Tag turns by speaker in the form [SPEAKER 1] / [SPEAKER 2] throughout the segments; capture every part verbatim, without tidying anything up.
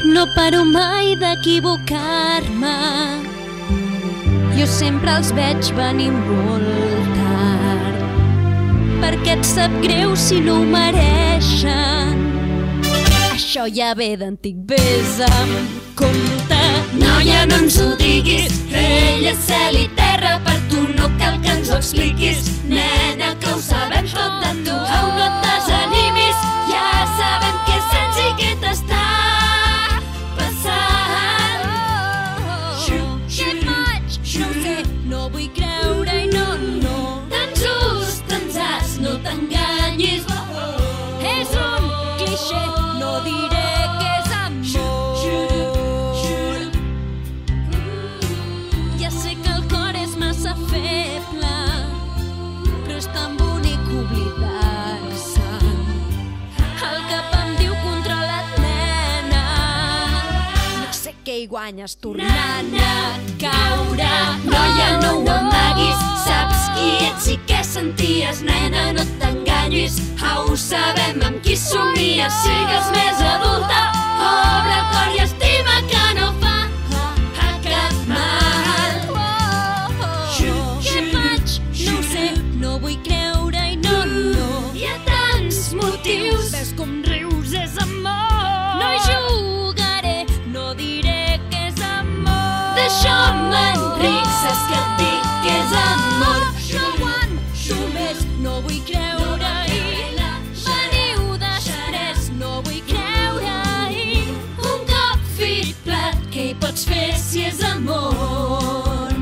[SPEAKER 1] No paro mai d'equivocar-me. Jo sempre els veig venir molt tard, perquè et sap greu si no ho mereixen. Això ja ve d'antic, vés amb compte. Noia, no ens ho diguis, ell és cel i terra, per tu no cal que ens ho expliquis. Nena, que ho sabem tot de tu, au, no et desanimis, ja sabem que sents i què t'està passant. Què faig? No ho sé, no vull creure i no, no. Tan just, tan zas, no t'enganyis. És un clixé, no diré que és amor. Ja sé que el cor és massa feble, però és tan bonic oblidar-se'n. El cap em diu controla't, nena. No sé què hi guanyes tornant a caure. Noia, no ho amaguis, saps qui ets i què senties. Nena, no t'enganyis, au, sabem amb qui somies. Sigues més adulta, obre el cor i estima, que no fa a cap mal. Què faig? No ho sé, no vull creure i no, no. Hi ha tants motius, ves com rius, és amor. No hi jugaré, no diré que és amor. D'això m'enric, saps que et dic que és amor. No aguanto més, no vull creure-hi. Veniu després, no vull creure-hi. Un cop fit plat, què hi pots fer si és amor?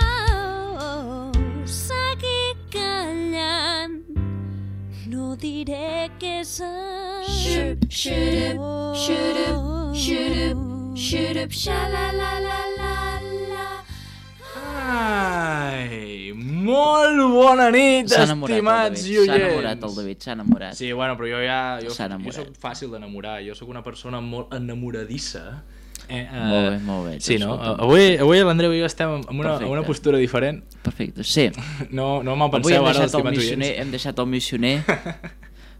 [SPEAKER 1] Oh, seguir callant, no diré que és amor. Xup, xurup, xurup, xurup, xurup, xa-la-la-la-la-la.
[SPEAKER 2] Ai, molt bona nit,
[SPEAKER 3] S'ha enamorat el
[SPEAKER 2] estimats
[SPEAKER 3] David,
[SPEAKER 2] i
[SPEAKER 3] s'ha
[SPEAKER 2] oients.
[SPEAKER 3] enamorat el David, s'ha enamorat.
[SPEAKER 2] Sí, bueno, però jo ja... Jo,
[SPEAKER 3] S'ha
[SPEAKER 2] jo
[SPEAKER 3] enamorat.
[SPEAKER 2] soc fàcil d'enamorar, jo sóc una persona molt enamoradissa. Eh, uh,
[SPEAKER 3] Molt bé, molt bé.
[SPEAKER 2] Sí, no?
[SPEAKER 3] Escolta.
[SPEAKER 2] Avui, avui l'Andreu i jo estem en una, en
[SPEAKER 3] Perfecte.
[SPEAKER 2] una postura diferent.
[SPEAKER 3] Perfecte, sí.
[SPEAKER 2] No, no me'l
[SPEAKER 3] Avui hem
[SPEAKER 2] penseu ara,
[SPEAKER 3] deixat, el
[SPEAKER 2] estimats
[SPEAKER 3] missioner,
[SPEAKER 2] oients.
[SPEAKER 3] hem deixat el missioner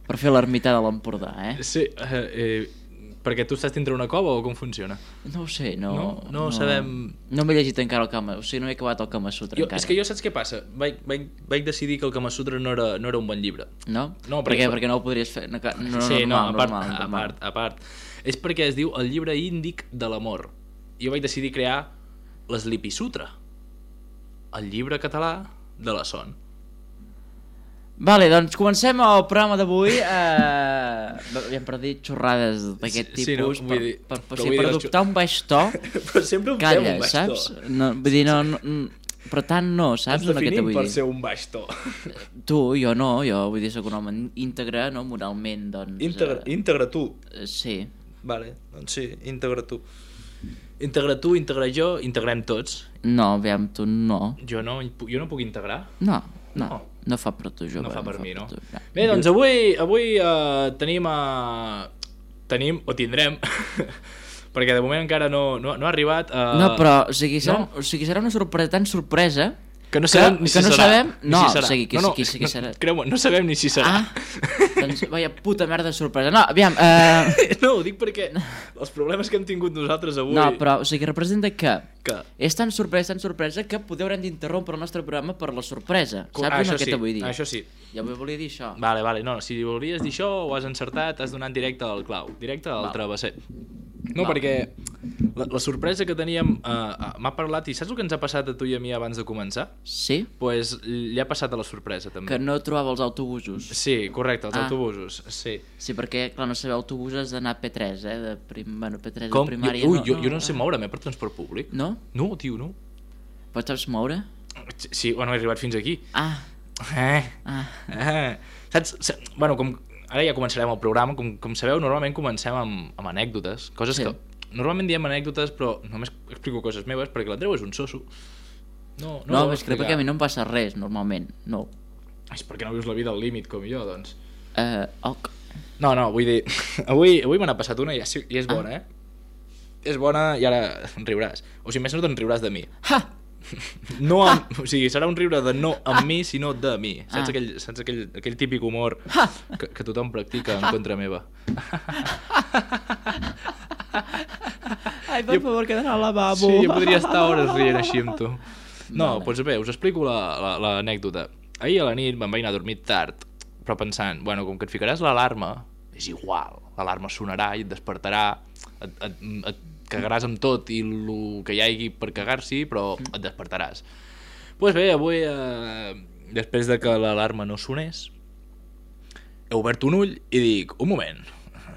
[SPEAKER 3] per fer l'ermità de l'Empordà, eh?
[SPEAKER 2] Sí, eh, eh, perquè tu estàs dintre una cova o com funciona?
[SPEAKER 3] No ho sé, no...
[SPEAKER 2] No? No sabem-
[SPEAKER 3] No m'he llegit encara el Kama, o sigui, no he acabat el Kama Sutra
[SPEAKER 2] Jo,
[SPEAKER 3] encara.
[SPEAKER 2] és que jo saps què passa? Vaig, vaig, vaig decidir que el Kama Sutra no era, no era un bon llibre.
[SPEAKER 3] No?
[SPEAKER 2] No,
[SPEAKER 3] per què?
[SPEAKER 2] perquè-
[SPEAKER 3] Perquè no ho podries fer... No, no,
[SPEAKER 2] Sí, no,
[SPEAKER 3] normal,
[SPEAKER 2] a part,
[SPEAKER 3] normal,
[SPEAKER 2] a
[SPEAKER 3] normal.
[SPEAKER 2] part, a part. És perquè es diu el llibre índic de l'amor. Jo vaig decidir crear l'Sleepy Sutra, el llibre català de la son.
[SPEAKER 3] Vale, doncs comencem el programa d'avui. Eh... Hem perdit xorrades d'aquest
[SPEAKER 2] Sí, sí, no,
[SPEAKER 3] tipus
[SPEAKER 2] vull
[SPEAKER 3] per,
[SPEAKER 2] dir,
[SPEAKER 3] per, per,
[SPEAKER 2] però
[SPEAKER 3] sí,
[SPEAKER 2] vull dir,
[SPEAKER 3] per
[SPEAKER 2] les
[SPEAKER 3] adoptar un baix to.
[SPEAKER 2] Però sempre ho fem
[SPEAKER 3] Calla,
[SPEAKER 2] un baix
[SPEAKER 3] saps?
[SPEAKER 2] to.
[SPEAKER 3] No, vull dir, no, no, però tant no, saps?
[SPEAKER 2] Ens
[SPEAKER 3] No, què te
[SPEAKER 2] definim
[SPEAKER 3] vull
[SPEAKER 2] per
[SPEAKER 3] dir?
[SPEAKER 2] ser un baix to.
[SPEAKER 3] Tu, jo no, jo vull dir, soc un home íntegre, no? Moralment, doncs...
[SPEAKER 2] Integra,
[SPEAKER 3] eh,
[SPEAKER 2] integra tu.
[SPEAKER 3] eh, sí.
[SPEAKER 2] Vale, doncs sí, integra tu. Integra tu, integra jo, integrem tots.
[SPEAKER 3] No, aviam, tu no.
[SPEAKER 2] Jo no, jo no puc integrar.
[SPEAKER 3] No, no,
[SPEAKER 2] No.
[SPEAKER 3] no fa per tu, jove.
[SPEAKER 2] No fa per mi, no?
[SPEAKER 3] tu,
[SPEAKER 2] Bé, doncs avui, avui uh, tenim a... Tenim, o tindrem, perquè de moment encara no, no, no ha arribat... Uh,
[SPEAKER 3] No, però, o sigui, serà,
[SPEAKER 2] no.
[SPEAKER 3] o sigui, serà una sorpresa tan sorpresa
[SPEAKER 2] Que no sabem
[SPEAKER 3] que,
[SPEAKER 2] ni si
[SPEAKER 3] que no
[SPEAKER 2] serà.
[SPEAKER 3] sabem...
[SPEAKER 2] Ni
[SPEAKER 3] No,
[SPEAKER 2] si serà.
[SPEAKER 3] o sigui, qui,
[SPEAKER 2] no, no,
[SPEAKER 3] qui, qui, qui serà...
[SPEAKER 2] No, creu-me, no sabem ni si serà.
[SPEAKER 3] Ah, doncs, vaya puta merda de sorpresa. No, aviam, eh...
[SPEAKER 2] No, ho dic perquè els problemes que hem tingut nosaltres avui...
[SPEAKER 3] No, però, o sigui, representa que...
[SPEAKER 2] Que...
[SPEAKER 3] És tan sorpresa, tan sorpresa, que podeu haurem d'interrompre el nostre programa per la sorpresa.
[SPEAKER 2] Co-
[SPEAKER 3] Saps
[SPEAKER 2] ah, això
[SPEAKER 3] el que
[SPEAKER 2] sí,
[SPEAKER 3] te vull dir?
[SPEAKER 2] això sí.
[SPEAKER 3] Ja vull volia dir això.
[SPEAKER 2] Vale, vale, no, si volies dir això ho has encertat, has donat directe al clau, directe al
[SPEAKER 3] Val.
[SPEAKER 2] travesser. No,
[SPEAKER 3] Val.
[SPEAKER 2] perquè la, la sorpresa que teníem uh, uh, m'ha parlat, i saps el que ens ha passat a tu i a mi abans de començar?
[SPEAKER 3] Sí?
[SPEAKER 2] Doncs pues, li ha passat a la sorpresa també.
[SPEAKER 3] Que no trobava els autobusos.
[SPEAKER 2] Sí, correcte, els
[SPEAKER 3] Ah.
[SPEAKER 2] autobusos, sí.
[SPEAKER 3] Sí, perquè, clar, no sabeu autobusos d'anar a P tres, eh? De prim... Bueno, P tres
[SPEAKER 2] Com?
[SPEAKER 3] de primària...
[SPEAKER 2] Jo, ui,
[SPEAKER 3] no,
[SPEAKER 2] jo, jo no sé moure'm, eh, per transport públic.
[SPEAKER 3] No?
[SPEAKER 2] No, tio, no.
[SPEAKER 3] Pots saps moure?
[SPEAKER 2] Sí, bueno, he arribat fins aquí.
[SPEAKER 3] Ah,
[SPEAKER 2] Eh,
[SPEAKER 3] ah.
[SPEAKER 2] eh. Saps? Sa- Bueno, com... Ara ja començarem el programa. Com, com sabeu, normalment comencem amb, amb anècdotes. Coses
[SPEAKER 3] Sí.
[SPEAKER 2] que... Normalment diem anècdotes, però només explico coses meves, perquè l'Andreu és un soso. No, no,
[SPEAKER 3] No,
[SPEAKER 2] ho
[SPEAKER 3] és que
[SPEAKER 2] explicar.
[SPEAKER 3] perquè a mi no em passa res, normalment. No.
[SPEAKER 2] És perquè no vius la vida al límit com jo, doncs.
[SPEAKER 3] Eh, ok.
[SPEAKER 2] No, no, vull dir... Avui, avui me n'ha passat una i, és- i és bona, eh? És bona i ara riuràs. O sigui, més no te'n riuràs de mi.
[SPEAKER 3] Ha!
[SPEAKER 2] No amb, o sigui, serà un riure de no amb mi, sinó de mi. Saps,
[SPEAKER 3] Ah.
[SPEAKER 2] aquell, saps aquell, aquell típic humor que, que tothom practica en contra meva.
[SPEAKER 3] Ai, per
[SPEAKER 2] Jo-
[SPEAKER 3] favor, que d'anar al lavabo.
[SPEAKER 2] Sí, jo podria estar hores rient així amb tu. No,
[SPEAKER 3] Vale.
[SPEAKER 2] doncs bé, us explico l'anècdota. Ahir a la nit me'n vaig anar a dormir tard, però pensant, bueno, com que et ficaràs l'alarma, és igual, l'alarma sonarà i et despertarà, et, et, et cagaràs amb tot i el que hi hagi per cagar-s'hi, però et despertaràs. Doncs pues bé, avui, eh, després de que l'alarma no sonés, he obert un ull i dic, un moment,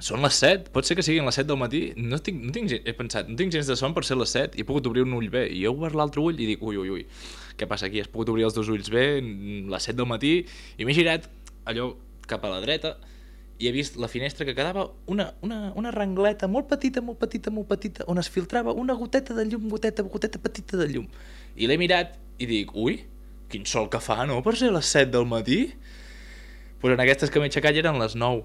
[SPEAKER 2] són les set, pot ser que siguin les set del matí, no tinc, no tinc, gen- he pensat, no tinc gens de son per ser les set, i he pogut obrir un ull bé, i he obert l'altre ull i dic, ui, ui, ui, què passa aquí? Has pogut obrir els dos ulls bé, les set del matí, i m'he girat allò cap a la dreta, i he vist la finestra que quedava una, una, una rengleta molt petita, molt petita, molt petita, on es filtrava una goteta de llum, goteta, goteta petita de llum. I l'he mirat i dic, ui, quin sol que fa, no?, per ser les set del matí? Doncs pues en aquestes que m'he aixecat ja eren les nou.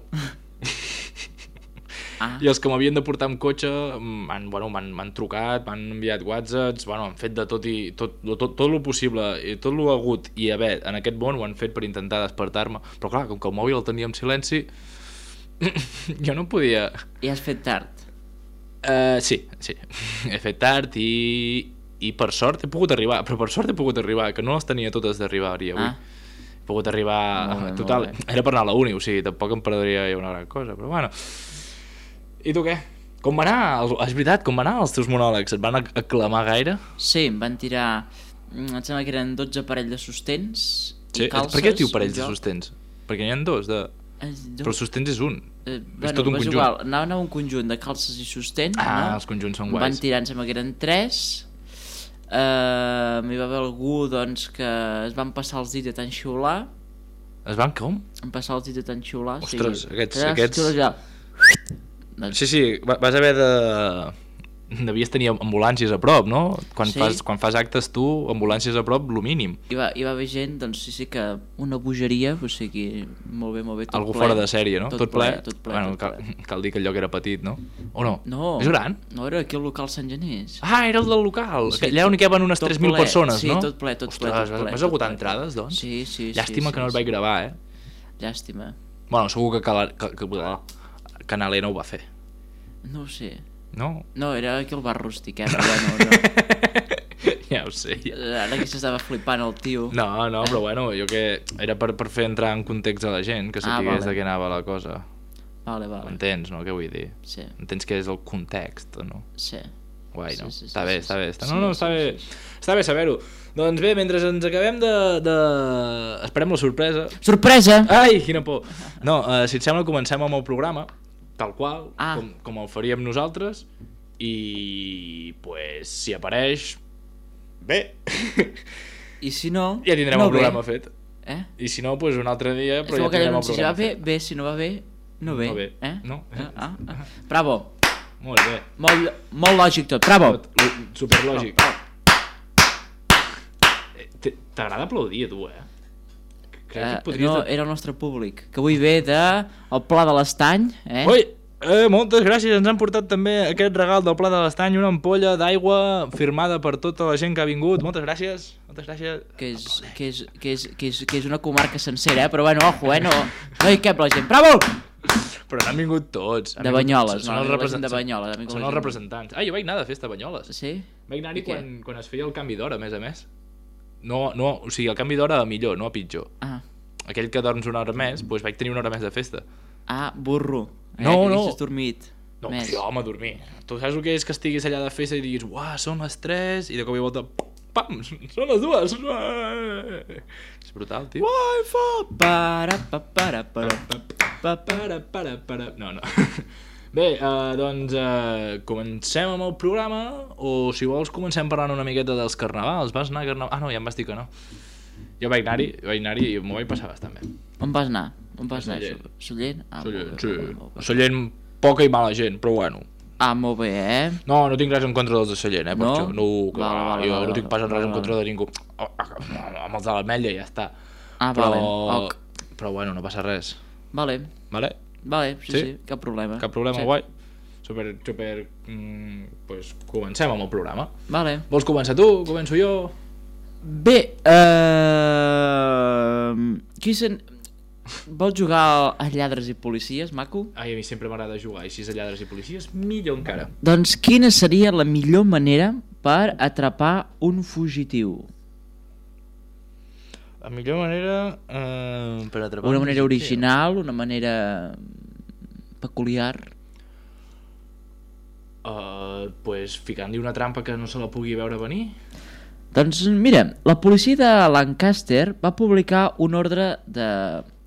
[SPEAKER 3] Ah,
[SPEAKER 2] I els que m'havien de portar amb cotxe m'han bueno, m'han m'han trucat, m'han enviat whatsapps, bueno, han fet de tot i tot, tot, tot el possible i tot el hagut i haver en aquest món ho han fet per intentar despertar-me, però clar, com que el mòbil el tenia en silenci jo no podia.
[SPEAKER 3] i has fet tard.
[SPEAKER 2] Uh, sí, sí, he fet tard i, i per sort he pogut arribar, però per sort he pogut arribar, que no les tenia totes d'arribar-hi avui.
[SPEAKER 3] Ah.
[SPEAKER 2] He pogut arribar,
[SPEAKER 3] Molt bé,
[SPEAKER 2] total,
[SPEAKER 3] molt bé.
[SPEAKER 2] era per anar a la uni, o sigui, tampoc em perdria una gran cosa, però bueno. I tu què? Com va anar? El- És veritat, com va anar els teus monòlegs? Et van ac- aclamar gaire?
[SPEAKER 3] Sí, em van tirar... mm, Em sembla que eren dotze parells de sostens
[SPEAKER 2] Sí?
[SPEAKER 3] i calces.
[SPEAKER 2] Per què es diu parells
[SPEAKER 3] un
[SPEAKER 2] de
[SPEAKER 3] joc.
[SPEAKER 2] sostens? Perquè n'hi ha dos, de...
[SPEAKER 3] Es diu-
[SPEAKER 2] però el sostens és un.
[SPEAKER 3] Eh,
[SPEAKER 2] és tot un
[SPEAKER 3] però és
[SPEAKER 2] conjunt.
[SPEAKER 3] Igual, anaven a un conjunt de calces i sostens,
[SPEAKER 2] Ah,
[SPEAKER 3] no?
[SPEAKER 2] els conjunts són
[SPEAKER 3] Em van
[SPEAKER 2] guais.
[SPEAKER 3] tirar, em sembla que eren tres. Uh, hi va haver algú doncs, que es van passar els dits de tan xiular.
[SPEAKER 2] Es van com?
[SPEAKER 3] Em passar els dits de tan xiular.
[SPEAKER 2] Ostres,
[SPEAKER 3] sí.
[SPEAKER 2] aquests-
[SPEAKER 3] Era
[SPEAKER 2] aquests-
[SPEAKER 3] xiular ja. Doncs,
[SPEAKER 2] Sí, sí, va- vas haver de... Devies tenir ambulàncies a prop, no? Quan,
[SPEAKER 3] Sí.
[SPEAKER 2] fas, quan fas actes tu, ambulàncies a prop, lo mínim.
[SPEAKER 3] hi, va, hi va haver gent, doncs sí, sí que una bogeria, o sigui, molt bé, molt bé, tot
[SPEAKER 2] Algú
[SPEAKER 3] ple.
[SPEAKER 2] fora de sèrie, no?
[SPEAKER 3] Tot, ple, tot ple,
[SPEAKER 2] bueno,
[SPEAKER 3] tot
[SPEAKER 2] cal,
[SPEAKER 3] ple.
[SPEAKER 2] cal dir que el lloc era petit, no? O no?
[SPEAKER 3] No,
[SPEAKER 2] És gran?
[SPEAKER 3] no, era aquí al local Sant Genís.
[SPEAKER 2] Ah, era el del local.
[SPEAKER 3] Sí,
[SPEAKER 2] Sí, allà on hi caben unes
[SPEAKER 3] tot
[SPEAKER 2] tres mil
[SPEAKER 3] ple,
[SPEAKER 2] persones,
[SPEAKER 3] sí,
[SPEAKER 2] no?
[SPEAKER 3] tot ple, tot ple,
[SPEAKER 2] Ostres,
[SPEAKER 3] tot ple,
[SPEAKER 2] vas
[SPEAKER 3] tot
[SPEAKER 2] agotar
[SPEAKER 3] ple.
[SPEAKER 2] entrades, doncs?
[SPEAKER 3] Sí, sí,
[SPEAKER 2] Llàstima
[SPEAKER 3] sí,
[SPEAKER 2] que no
[SPEAKER 3] sí,
[SPEAKER 2] el vaig
[SPEAKER 3] sí.
[SPEAKER 2] gravar, eh?
[SPEAKER 3] Llàstima.
[SPEAKER 2] Bueno, segur que, Cala, que, que, que Canalena ho va fer.
[SPEAKER 3] No ho sé.
[SPEAKER 2] No?
[SPEAKER 3] No, era aquí al bar rústic, eh? Però bueno, no.
[SPEAKER 2] Ja ho sé. Ja.
[SPEAKER 3] Ara que s'estava flipant el tio.
[SPEAKER 2] No, no, però bueno, jo que... Era per, per fer entrar en context a la gent, que
[SPEAKER 3] Ah,
[SPEAKER 2] sapigués
[SPEAKER 3] vale.
[SPEAKER 2] de què anava la cosa.
[SPEAKER 3] Vale, vale.
[SPEAKER 2] Entens, no? Què vull dir?
[SPEAKER 3] Sí,
[SPEAKER 2] Entens què és el context, o no?
[SPEAKER 3] sí.
[SPEAKER 2] Guai,
[SPEAKER 3] Sí,
[SPEAKER 2] no?
[SPEAKER 3] sí, sí,
[SPEAKER 2] està
[SPEAKER 3] sí,
[SPEAKER 2] bé,
[SPEAKER 3] sí,
[SPEAKER 2] està
[SPEAKER 3] sí.
[SPEAKER 2] bé. Està...
[SPEAKER 3] Sí,
[SPEAKER 2] No, no,
[SPEAKER 3] sí,
[SPEAKER 2] està bé.
[SPEAKER 3] sí, sí.
[SPEAKER 2] Està bé saber-ho. Doncs bé, mentre ens acabem de... de... Esperem la sorpresa.
[SPEAKER 3] Sorpresa!
[SPEAKER 2] Ai, quina por. No, uh, si et sembla, comencem amb el programa, tal qual,
[SPEAKER 3] Ah.
[SPEAKER 2] com, com el faríem nosaltres, i, pues, si apareix... Bé.
[SPEAKER 3] I si no...
[SPEAKER 2] Ja tindrem
[SPEAKER 3] no
[SPEAKER 2] el programa
[SPEAKER 3] ve.
[SPEAKER 2] fet.
[SPEAKER 3] Eh?
[SPEAKER 2] I si no, pues un altre dia,
[SPEAKER 3] És
[SPEAKER 2] però
[SPEAKER 3] com
[SPEAKER 2] ja
[SPEAKER 3] aquell
[SPEAKER 2] tindrem el
[SPEAKER 3] anunci, si va
[SPEAKER 2] programa
[SPEAKER 3] bé,
[SPEAKER 2] fet.
[SPEAKER 3] bé, si no va bé, no ve.
[SPEAKER 2] No ve.
[SPEAKER 3] Eh?
[SPEAKER 2] No.
[SPEAKER 3] Ah, ah, ah. Bravo.
[SPEAKER 2] Molt bé.
[SPEAKER 3] Molt, molt lògic tot. Bravo.
[SPEAKER 2] Tot, lo- superlògic. Eh, t- T'agrada aplaudir a tu, eh? Crec que
[SPEAKER 3] Eh,
[SPEAKER 2] et podries...
[SPEAKER 3] no, era el nostre públic, que avui ve de el Pla de l'Estany, eh?
[SPEAKER 2] Ui, eh, moltes gràcies, ens han portat també aquest regal del Pla de l'Estany, una ampolla d'aigua firmada per tota la gent que ha vingut, moltes gràcies, moltes gràcies.
[SPEAKER 3] Que és, que, és, que, és, que, és, que és una comarca sencera, eh? Però bueno, ojo, eh? No, no hi cap la gent. Bravo!
[SPEAKER 2] Però n'han vingut tots. Han
[SPEAKER 3] De
[SPEAKER 2] vingut-
[SPEAKER 3] Banyoles,
[SPEAKER 2] són
[SPEAKER 3] no,
[SPEAKER 2] els
[SPEAKER 3] la gent
[SPEAKER 2] represent-
[SPEAKER 3] de Banyoles, ha vingut
[SPEAKER 2] Són
[SPEAKER 3] la
[SPEAKER 2] els
[SPEAKER 3] gent.
[SPEAKER 2] representants. Ah, jo vaig anar de festa a Banyoles.
[SPEAKER 3] Sí?
[SPEAKER 2] Vaig anar-hi
[SPEAKER 3] I què?
[SPEAKER 2] quan, quan es feia el canvi d'hora, a més a més. No, no, o sigui, el canvi d'hora a millor, no a pitjor.
[SPEAKER 3] Ah,
[SPEAKER 2] Aquell que dorms una hora més, doncs vaig tenir una hora més de festa.
[SPEAKER 3] ah burro. Eh?
[SPEAKER 2] No,
[SPEAKER 3] que
[SPEAKER 2] no.
[SPEAKER 3] haguessis dormit.
[SPEAKER 2] No,
[SPEAKER 3] més.
[SPEAKER 2] jo, home, a dormir. Tu saps el que és que estiguis allà de festa i diguis, uah, són les tres, i de cop i volta, pam, són les dues. És brutal, tio.
[SPEAKER 3] Wi-Fi! Para, pa, para, para, pa, pa, pa.
[SPEAKER 2] Para, para, para... No, no. Bé, uh, doncs uh, comencem amb el programa, o si vols comencem parlant una miqueta dels carnavals. Vas anar a carnaval? Ah, no, ja em vas dir que no. Jo vaig anar-hi, vaig anar-hi i m'ho vaig passar bastant bé.
[SPEAKER 3] On vas anar? On vas anar?
[SPEAKER 2] Sallent.
[SPEAKER 3] Sallent? Ah,
[SPEAKER 2] Sallent,
[SPEAKER 3] molt
[SPEAKER 2] sí.
[SPEAKER 3] bé, molt bé.
[SPEAKER 2] Sallent, poca i mala gent, però bueno.
[SPEAKER 3] Ah, molt bé, eh?
[SPEAKER 2] No, no tinc res en contra dels de Sallent, eh, per
[SPEAKER 3] No?
[SPEAKER 2] això. No, que
[SPEAKER 3] Vale,
[SPEAKER 2] va,
[SPEAKER 3] vale,
[SPEAKER 2] jo
[SPEAKER 3] vale,
[SPEAKER 2] no tinc pas
[SPEAKER 3] vale,
[SPEAKER 2] res en
[SPEAKER 3] vale.
[SPEAKER 2] contra de ningú. Oh, amb els de l'Ametlla ja està.
[SPEAKER 3] Ah,
[SPEAKER 2] Però,
[SPEAKER 3] vale, ok.
[SPEAKER 2] però bueno, no passa res.
[SPEAKER 3] Vale,
[SPEAKER 2] Vale?
[SPEAKER 3] vale, sí,
[SPEAKER 2] Sí?
[SPEAKER 3] sí, cap problema.
[SPEAKER 2] Cap problema,
[SPEAKER 3] sí.
[SPEAKER 2] guai. Super, super... Mm, pues comencem amb el programa.
[SPEAKER 3] Vale.
[SPEAKER 2] Vols començar tu? Començo jo?
[SPEAKER 3] Bé, eh... Qui sen... Vols jugar a lladres i policies, maco?
[SPEAKER 2] Ai, a mi sempre m'agrada jugar, i si és a lladres i policies, millor encara.
[SPEAKER 3] Doncs quina seria la millor manera per atrapar un fugitiu?
[SPEAKER 2] La millor manera eh, per atrapar
[SPEAKER 3] Una
[SPEAKER 2] un
[SPEAKER 3] manera
[SPEAKER 2] fugitiu.
[SPEAKER 3] original, una manera peculiar?
[SPEAKER 2] Uh, pues ficant-li una trampa que no se la pugui veure venir.
[SPEAKER 3] Doncs mira, la policia de Lancaster va publicar un ordre de,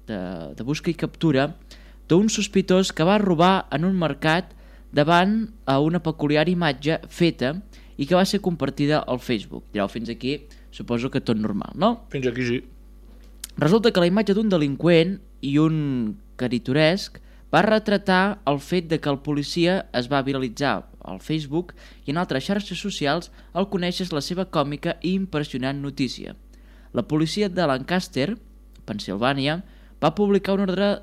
[SPEAKER 3] de, de busca i captura d'un sospitós que va robar en un mercat davant a una peculiar imatge feta i que va ser compartida al Facebook. Direu, fins aquí suposo que tot normal, no?
[SPEAKER 2] Fins aquí sí.
[SPEAKER 3] Resulta que la imatge d'un delinqüent i un caritoresc va retratar el fet de que el policia es va viralitzar al Facebook i en altres xarxes socials al conèixer la seva còmica i impressionant notícia. La policia de Lancaster, Pensilvània, va publicar un ordre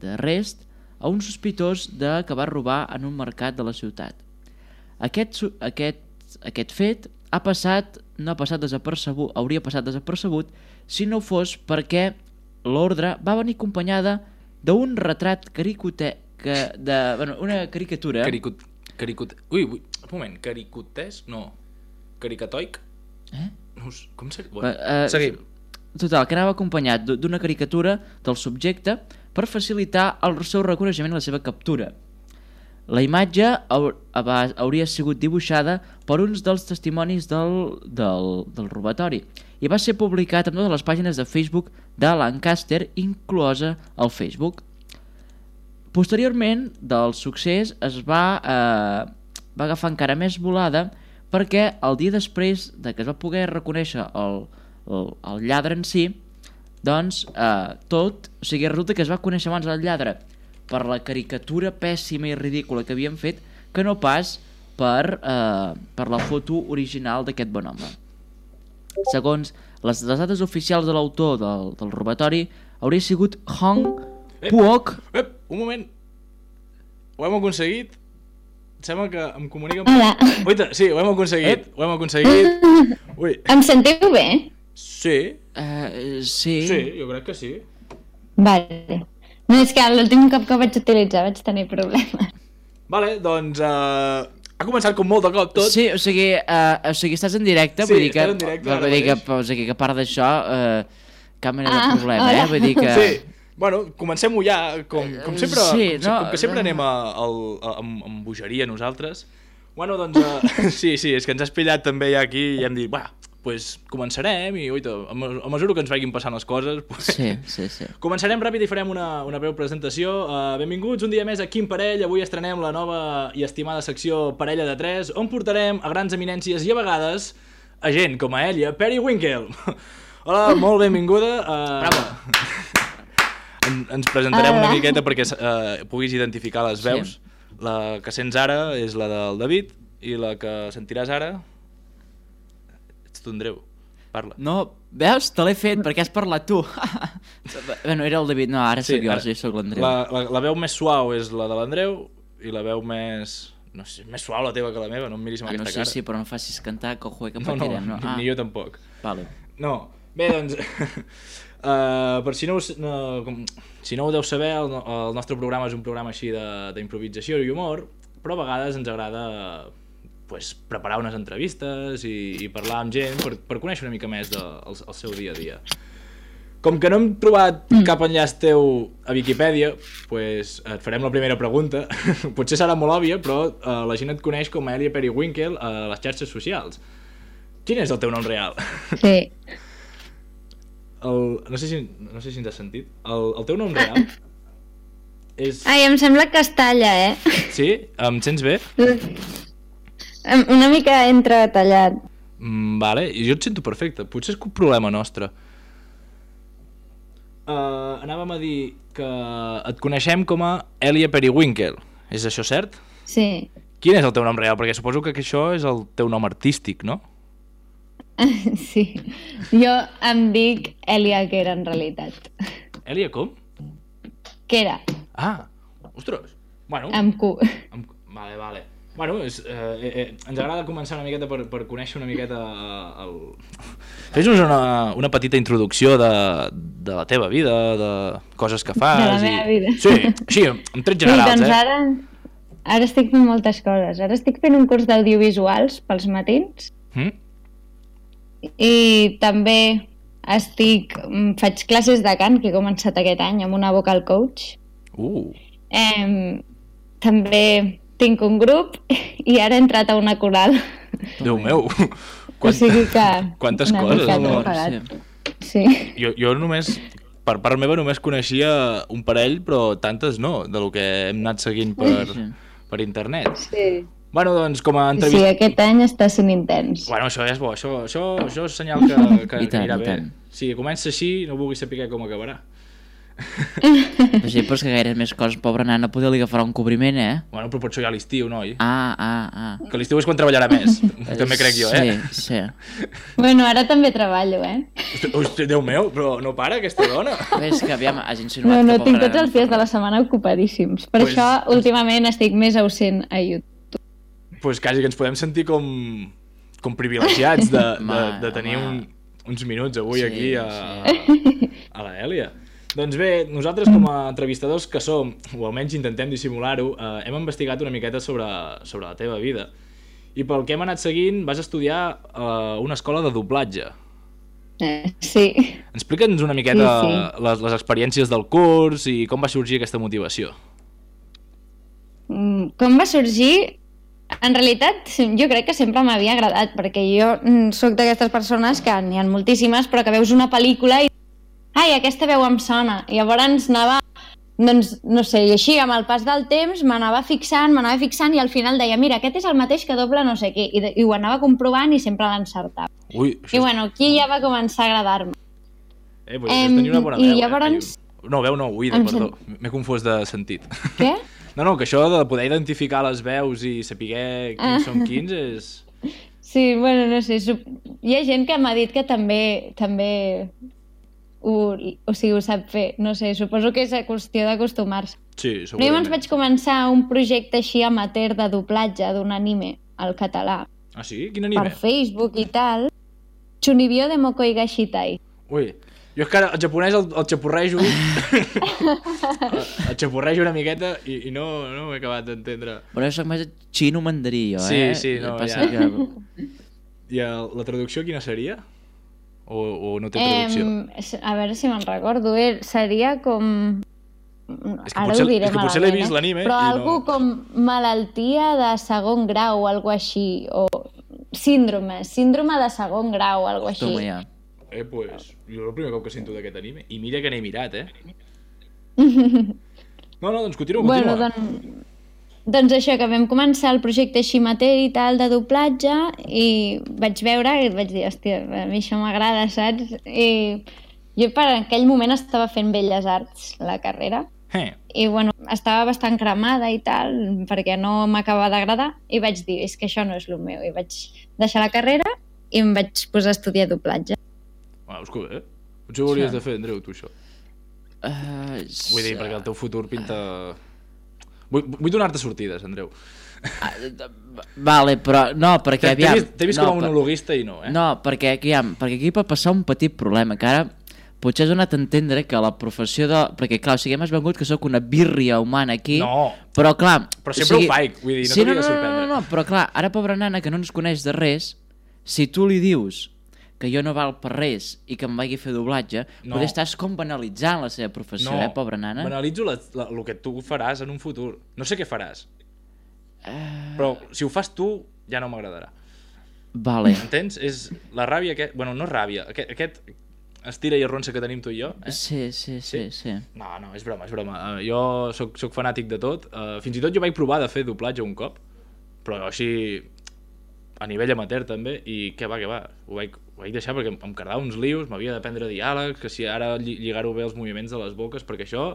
[SPEAKER 3] d'arrest a un sospitós de que va robar en un mercat de la ciutat. Aquest, aquest, aquest fet ha passat, no ha passat desapercebut, hauria passat desapercebut si no fos perquè l'ordre va venir acompanyada d'un retrat caricote... Que de, bueno, una caricatura...
[SPEAKER 2] Caricut... Caricut... Ui, ui, un moment, caricotesc? No. Caricatoic?
[SPEAKER 3] Eh?
[SPEAKER 2] No, com seria? Bueno,
[SPEAKER 3] Uh,
[SPEAKER 2] seguim.
[SPEAKER 3] Total, que anava acompanyat d'una caricatura del subjecte per facilitar el seu reconeixement i la seva captura. La imatge hauria sigut dibuixada per uns dels testimonis del, del, del robatori i va ser publicat en totes les pàgines de Facebook de Lancaster, inclosa al Facebook. Posteriorment del succés es va, eh, va agafar encara més volada perquè el dia després de que es va poder reconèixer el, el, el lladre en si, doncs eh, tot, o sigui, resulta que es va conèixer abans el lladre per la caricatura pèssima i ridícula que havien fet que no pas per, eh, per la foto original d'aquest bon home. Segons les, les dades oficials de l'autor del, del robatori, hauria sigut Hong Puok.
[SPEAKER 2] Ep, un moment. Ho hem aconseguit. Em sembla que em comuniquen...
[SPEAKER 4] Hola.
[SPEAKER 2] Oita, sí, ho hem aconseguit. Ho hem aconseguit. Ui.
[SPEAKER 4] Em sentiu bé?
[SPEAKER 2] Sí.
[SPEAKER 3] Uh, sí.
[SPEAKER 2] Sí, jo crec que sí.
[SPEAKER 4] Vale. No, és que l'últim cop que ho vaig utilitzar vaig tenir problemes.
[SPEAKER 2] Vale, doncs... Uh, ha començat com molt de cop tot.
[SPEAKER 3] Sí, o sigui, uh, o sigui estàs en directe,
[SPEAKER 2] Sí,
[SPEAKER 3] vull dir que,
[SPEAKER 2] estàs en directe ara
[SPEAKER 3] vull dir que,
[SPEAKER 2] mateix.
[SPEAKER 3] o sigui, que a part d'això, uh, cap mena
[SPEAKER 4] Ah,
[SPEAKER 3] de problema,
[SPEAKER 4] hola.
[SPEAKER 3] eh? Vull dir que...
[SPEAKER 2] Sí. Bueno, comencem-ho ja, com, com sempre,
[SPEAKER 3] Sí,
[SPEAKER 2] com,
[SPEAKER 3] no,
[SPEAKER 2] com que sempre
[SPEAKER 3] no.
[SPEAKER 2] anem a, a, a, amb, amb bogeria nosaltres. Bueno, doncs, uh, sí, sí, és que ens has pillat també ja aquí i hem dit, va, pues començarem i, oita, a, me- a mesura que ens vagin passant les coses, pues,
[SPEAKER 3] Sí, sí, sí.
[SPEAKER 2] començarem ràpid i farem una, una breu presentació. Uh, benvinguts un dia més a Quin Parell. Avui estrenem la nova i estimada secció Parella de Tres, on portarem a grans eminències i a vegades a gent com a Elia Periwinkle. Hola, molt benvinguda. Uh,
[SPEAKER 3] Bravo.
[SPEAKER 2] En, ens presentarem
[SPEAKER 4] Hola.
[SPEAKER 2] una miqueta perquè uh, puguis identificar les veus.
[SPEAKER 3] Sí.
[SPEAKER 2] La que sents ara és la del David i la que sentiràs ara... Ets tu, Andreu. Parla.
[SPEAKER 3] No, veus? Te l'he fet perquè has parlat tu. Bueno, era el David, no, ara
[SPEAKER 2] Sí,
[SPEAKER 3] sóc jo,
[SPEAKER 2] ara-
[SPEAKER 3] sí, sóc l'Andreu.
[SPEAKER 2] La, la, la veu més suau és la de l'Andreu i la veu més... No sé, més suau la teva que la meva, no em miris amb
[SPEAKER 3] Ah, no
[SPEAKER 2] aquesta
[SPEAKER 3] sé,
[SPEAKER 2] cara.
[SPEAKER 3] sí, però no facis cantar, que ojo, que
[SPEAKER 2] No, no,
[SPEAKER 3] patirem, no?
[SPEAKER 2] ni,
[SPEAKER 3] Ah,
[SPEAKER 2] ni jo tampoc.
[SPEAKER 3] vale.
[SPEAKER 2] No, bé, doncs... uh, per si no, us, no, com, si no ho deu saber, el, no- el nostre programa és un programa així de- d'improvisació i humor, però a vegades ens agrada pues, preparar unes entrevistes i, i parlar amb gent per, per conèixer una mica més del el, el seu dia a dia. Com que no hem trobat cap enllaç teu a Viquipèdia, pues, et farem la primera pregunta. Potser serà molt òbvia, però uh, la gent et coneix com a Elia Periwinkle a les xarxes socials. Quin és el teu nom real?
[SPEAKER 4] Sí.
[SPEAKER 2] El, no, sé si, no sé si ens has sentit. El, el teu nom real és...
[SPEAKER 4] Ai, em sembla que es talla, eh?
[SPEAKER 2] Sí? Em sents bé?
[SPEAKER 4] Em- Una mica entretallat.
[SPEAKER 2] Mm, vale, i jo et sento perfecte. Potser és un problema nostre. Uh, anàvem a dir que et coneixem com a Elia Periwinkle. És això cert?
[SPEAKER 4] Sí.
[SPEAKER 2] Quin és el teu nom real? Perquè suposo que això és el teu nom artístic, no?
[SPEAKER 4] Sí. Jo em dic Elia Quera, en realitat.
[SPEAKER 2] Elia com?
[SPEAKER 4] Quera,
[SPEAKER 2] Ah, ostres. Bueno,
[SPEAKER 4] amb Q.
[SPEAKER 2] Amb... Vale, vale. Bueno, és, eh, eh, ens agrada començar una miqueta per, per conèixer una miqueta eh, el... Fes-nos una, una petita introducció de, de la teva vida, de coses que fas...
[SPEAKER 4] De la meva
[SPEAKER 2] i...
[SPEAKER 4] vida.
[SPEAKER 2] Sí, sí, en trets generals,
[SPEAKER 4] sí, doncs
[SPEAKER 2] eh?
[SPEAKER 4] ara, ara estic fent moltes coses. Ara estic fent un curs d'audiovisuals pels matins
[SPEAKER 2] Mm?
[SPEAKER 4] i també estic, faig classes de cant que he començat aquest any amb una vocal coach.
[SPEAKER 2] Uh,
[SPEAKER 4] Eh, també tinc un grup i ara he entrat a una coral.
[SPEAKER 2] Déu meu!
[SPEAKER 4] O sigui que...
[SPEAKER 2] Quantes
[SPEAKER 4] una
[SPEAKER 2] coses,
[SPEAKER 4] mica
[SPEAKER 2] no?
[SPEAKER 4] tot pagat.
[SPEAKER 3] Sí.
[SPEAKER 4] Sí.
[SPEAKER 2] Jo, jo només, per part meva, només coneixia un parell, però tantes no, de lo que hem anat seguint per,
[SPEAKER 3] Sí.
[SPEAKER 2] per internet.
[SPEAKER 4] Sí.
[SPEAKER 2] Bueno, doncs, com a
[SPEAKER 4] Sí,
[SPEAKER 2] entrevista...
[SPEAKER 4] aquest any està sent intens.
[SPEAKER 2] Bueno, això ja és bo, això, això, això és senyal que, que,
[SPEAKER 3] I
[SPEAKER 2] que
[SPEAKER 3] tant,
[SPEAKER 2] anirà
[SPEAKER 3] i
[SPEAKER 2] bé.
[SPEAKER 3] tant.
[SPEAKER 2] Si comença així, no vulguis saber com acabarà.
[SPEAKER 3] Però sí, però és que gaire més coses, pobra nana, poder li agafarà un cobriment, eh?
[SPEAKER 2] Bueno, però potser ja a l'estiu, noi.
[SPEAKER 3] Ah, ah, ah.
[SPEAKER 2] Que a l'estiu és quan treballarà més, també crec jo, eh?
[SPEAKER 3] Sí, sí.
[SPEAKER 4] Bueno, ara també treballo, eh?
[SPEAKER 2] Hosti, hosti, Déu meu, però no para aquesta dona.
[SPEAKER 3] Bé, és que aviam, has insinuat
[SPEAKER 4] No, no,
[SPEAKER 3] que
[SPEAKER 4] tinc
[SPEAKER 3] pobra
[SPEAKER 4] tots els dies de la setmana ocupadíssims. Per
[SPEAKER 2] Pues-
[SPEAKER 4] això, últimament, estic més ausent a YouTube.
[SPEAKER 2] Doncs pues quasi que ens podem sentir com, com privilegiats de, de,
[SPEAKER 3] Home,
[SPEAKER 2] de tenir un,
[SPEAKER 3] home.
[SPEAKER 2] uns minuts avui
[SPEAKER 3] Sí,
[SPEAKER 2] aquí a, a la Èlia. Doncs bé, nosaltres com a entrevistadors que som, o almenys intentem dissimular-ho, eh, hem investigat una miqueta sobre, sobre la teva vida. I pel que hem anat seguint, vas estudiar a una escola de doblatge.
[SPEAKER 4] Eh, sí.
[SPEAKER 2] Explica'ns una miqueta
[SPEAKER 4] Sí, sí.
[SPEAKER 2] Les, les experiències del curs i com va sorgir aquesta motivació.
[SPEAKER 4] Mm, Com va sorgir? En realitat, jo crec que sempre m'havia agradat, perquè jo mm, sóc d'aquestes persones que n'hi ha moltíssimes, però que veus una pel·lícula i ai, aquesta veu em sona. I llavors anava, doncs, no sé, i així, amb el pas del temps, m'anava fixant, m'anava fixant, i al final deia, mira, aquest és el mateix que dobla no sé què, i, de- i ho anava comprovant i sempre l'encertava.
[SPEAKER 2] Ui,
[SPEAKER 4] I
[SPEAKER 2] això és,
[SPEAKER 4] bueno, aquí ja va començar a agradar-me.
[SPEAKER 2] eh, pues,
[SPEAKER 4] em,
[SPEAKER 2] és tenir una bona
[SPEAKER 4] i
[SPEAKER 2] veu.
[SPEAKER 4] llavors-
[SPEAKER 2] Eh? No, veu no, oïda,
[SPEAKER 4] Em
[SPEAKER 2] perdó. M'he confós de sentit.
[SPEAKER 4] Què?
[SPEAKER 2] No, no, que això de poder identificar les veus i saber quins són quins és...
[SPEAKER 4] Sí, bueno, no sé, sup- hi ha gent que m'ha dit que també també ho, o sigui, ho sap fer, no sé, suposo que és a qüestió d'acostumar-se.
[SPEAKER 2] Sí,
[SPEAKER 4] Però
[SPEAKER 2] segurament.
[SPEAKER 4] llavors vaig començar un projecte així amateur de doblatge d'un anime al català,
[SPEAKER 2] Ah, sí? Quin
[SPEAKER 4] per
[SPEAKER 2] anime?
[SPEAKER 4] Facebook i tal. Chunibyo de Mokoi Gashitai.
[SPEAKER 2] Ui, jo és que ara el japonès el, el xapurrejo... el xapurrejo una miqueta i, i no, no ho he acabat d'entendre.
[SPEAKER 3] Però jo soc més xino mandarí, jo,
[SPEAKER 2] Sí,
[SPEAKER 3] eh?
[SPEAKER 2] sí, no,
[SPEAKER 3] Passa
[SPEAKER 2] ja.
[SPEAKER 3] que...
[SPEAKER 2] I el, la traducció quina seria? O, o no té traducció?
[SPEAKER 4] Em, a veure si me'n recordo, eh? Seria com...
[SPEAKER 2] És que
[SPEAKER 4] Ara
[SPEAKER 2] potser-
[SPEAKER 4] ho diré
[SPEAKER 2] és que potser l'he
[SPEAKER 4] malament,
[SPEAKER 2] vist
[SPEAKER 4] eh?
[SPEAKER 2] l'anime
[SPEAKER 4] Però
[SPEAKER 2] i no-
[SPEAKER 4] algú com malaltia de segon grau o algo així, o síndrome, síndrome de segon grau o algo així.
[SPEAKER 3] Toma ja.
[SPEAKER 2] Eh, pues, jo el primer cop que sento d'aquest anime. I mira que n'he mirat, eh? No, no, doncs continua, continua.
[SPEAKER 4] Bueno, doncs, doncs això, que vam començar el projecte així amateur i tal de doblatge i vaig veure i vaig dir, hòstia, a mi això m'agrada, saps? I jo per aquell moment estava fent Belles Arts, la carrera,
[SPEAKER 2] Eh,
[SPEAKER 4] i bueno, estava bastant cremada i tal, perquè no m'acabava d'agradar, i vaig dir, és que això no és el meu, i vaig deixar la carrera i em vaig posar a estudiar doblatge.
[SPEAKER 2] veus que bé. Potser ho hauries
[SPEAKER 3] Sí.
[SPEAKER 2] de fer, Andreu, tu, això.
[SPEAKER 3] Uh,
[SPEAKER 2] Vull dir, perquè el teu futur pinta... Vull, vull donar-te sortides, Andreu.
[SPEAKER 3] Vale, però no, perquè
[SPEAKER 2] T'he
[SPEAKER 3] aviam...
[SPEAKER 2] vist, t'he vist
[SPEAKER 3] no,
[SPEAKER 2] com a
[SPEAKER 3] per-
[SPEAKER 2] monologuista i no, eh?
[SPEAKER 3] No, perquè, aviam, perquè aquí pot passar un petit problema, que ara potser has donat a entendre que la professió de... Perquè, clar, o sigui, hem vengut que sóc una bírria humana aquí,
[SPEAKER 2] No.
[SPEAKER 3] però clar...
[SPEAKER 2] Però sempre
[SPEAKER 3] o sigui,
[SPEAKER 2] ho faig, vull dir, no
[SPEAKER 3] sí,
[SPEAKER 2] t'hauria
[SPEAKER 3] no,
[SPEAKER 2] de
[SPEAKER 3] no, no,
[SPEAKER 2] sorprendre.
[SPEAKER 3] no, no, però clar, ara pobra nana que no ens coneix de res, si tu li dius que jo no val per res i que em vagi a fer doblatge,
[SPEAKER 2] No.
[SPEAKER 3] potser estàs com banalitzant la seva professió, eh, pobra nana?
[SPEAKER 2] banalitzo la, la, el que tu faràs en un futur. No sé què faràs,
[SPEAKER 3] Uh,
[SPEAKER 2] però si ho fas tu, ja no m'agradarà.
[SPEAKER 3] vale.
[SPEAKER 2] Entens? És la ràbia... Que... Bueno, no ràbia. Aquest, aquest estira i arronsa que tenim tu i jo. Eh?
[SPEAKER 3] Sí, sí, sí, sí.
[SPEAKER 2] No, no, és broma, és broma. Uh, jo sóc, sóc fanàtic de tot. Uh, fins i tot jo vaig provar de fer doblatge un cop, però així a nivell amateur també, i què va, què va. Ho vaig, ho vaig deixar perquè em, em quedava uns lius, m'havia d'aprendre diàlegs, que si ara lli- lligar-ho bé els moviments de les boques, perquè això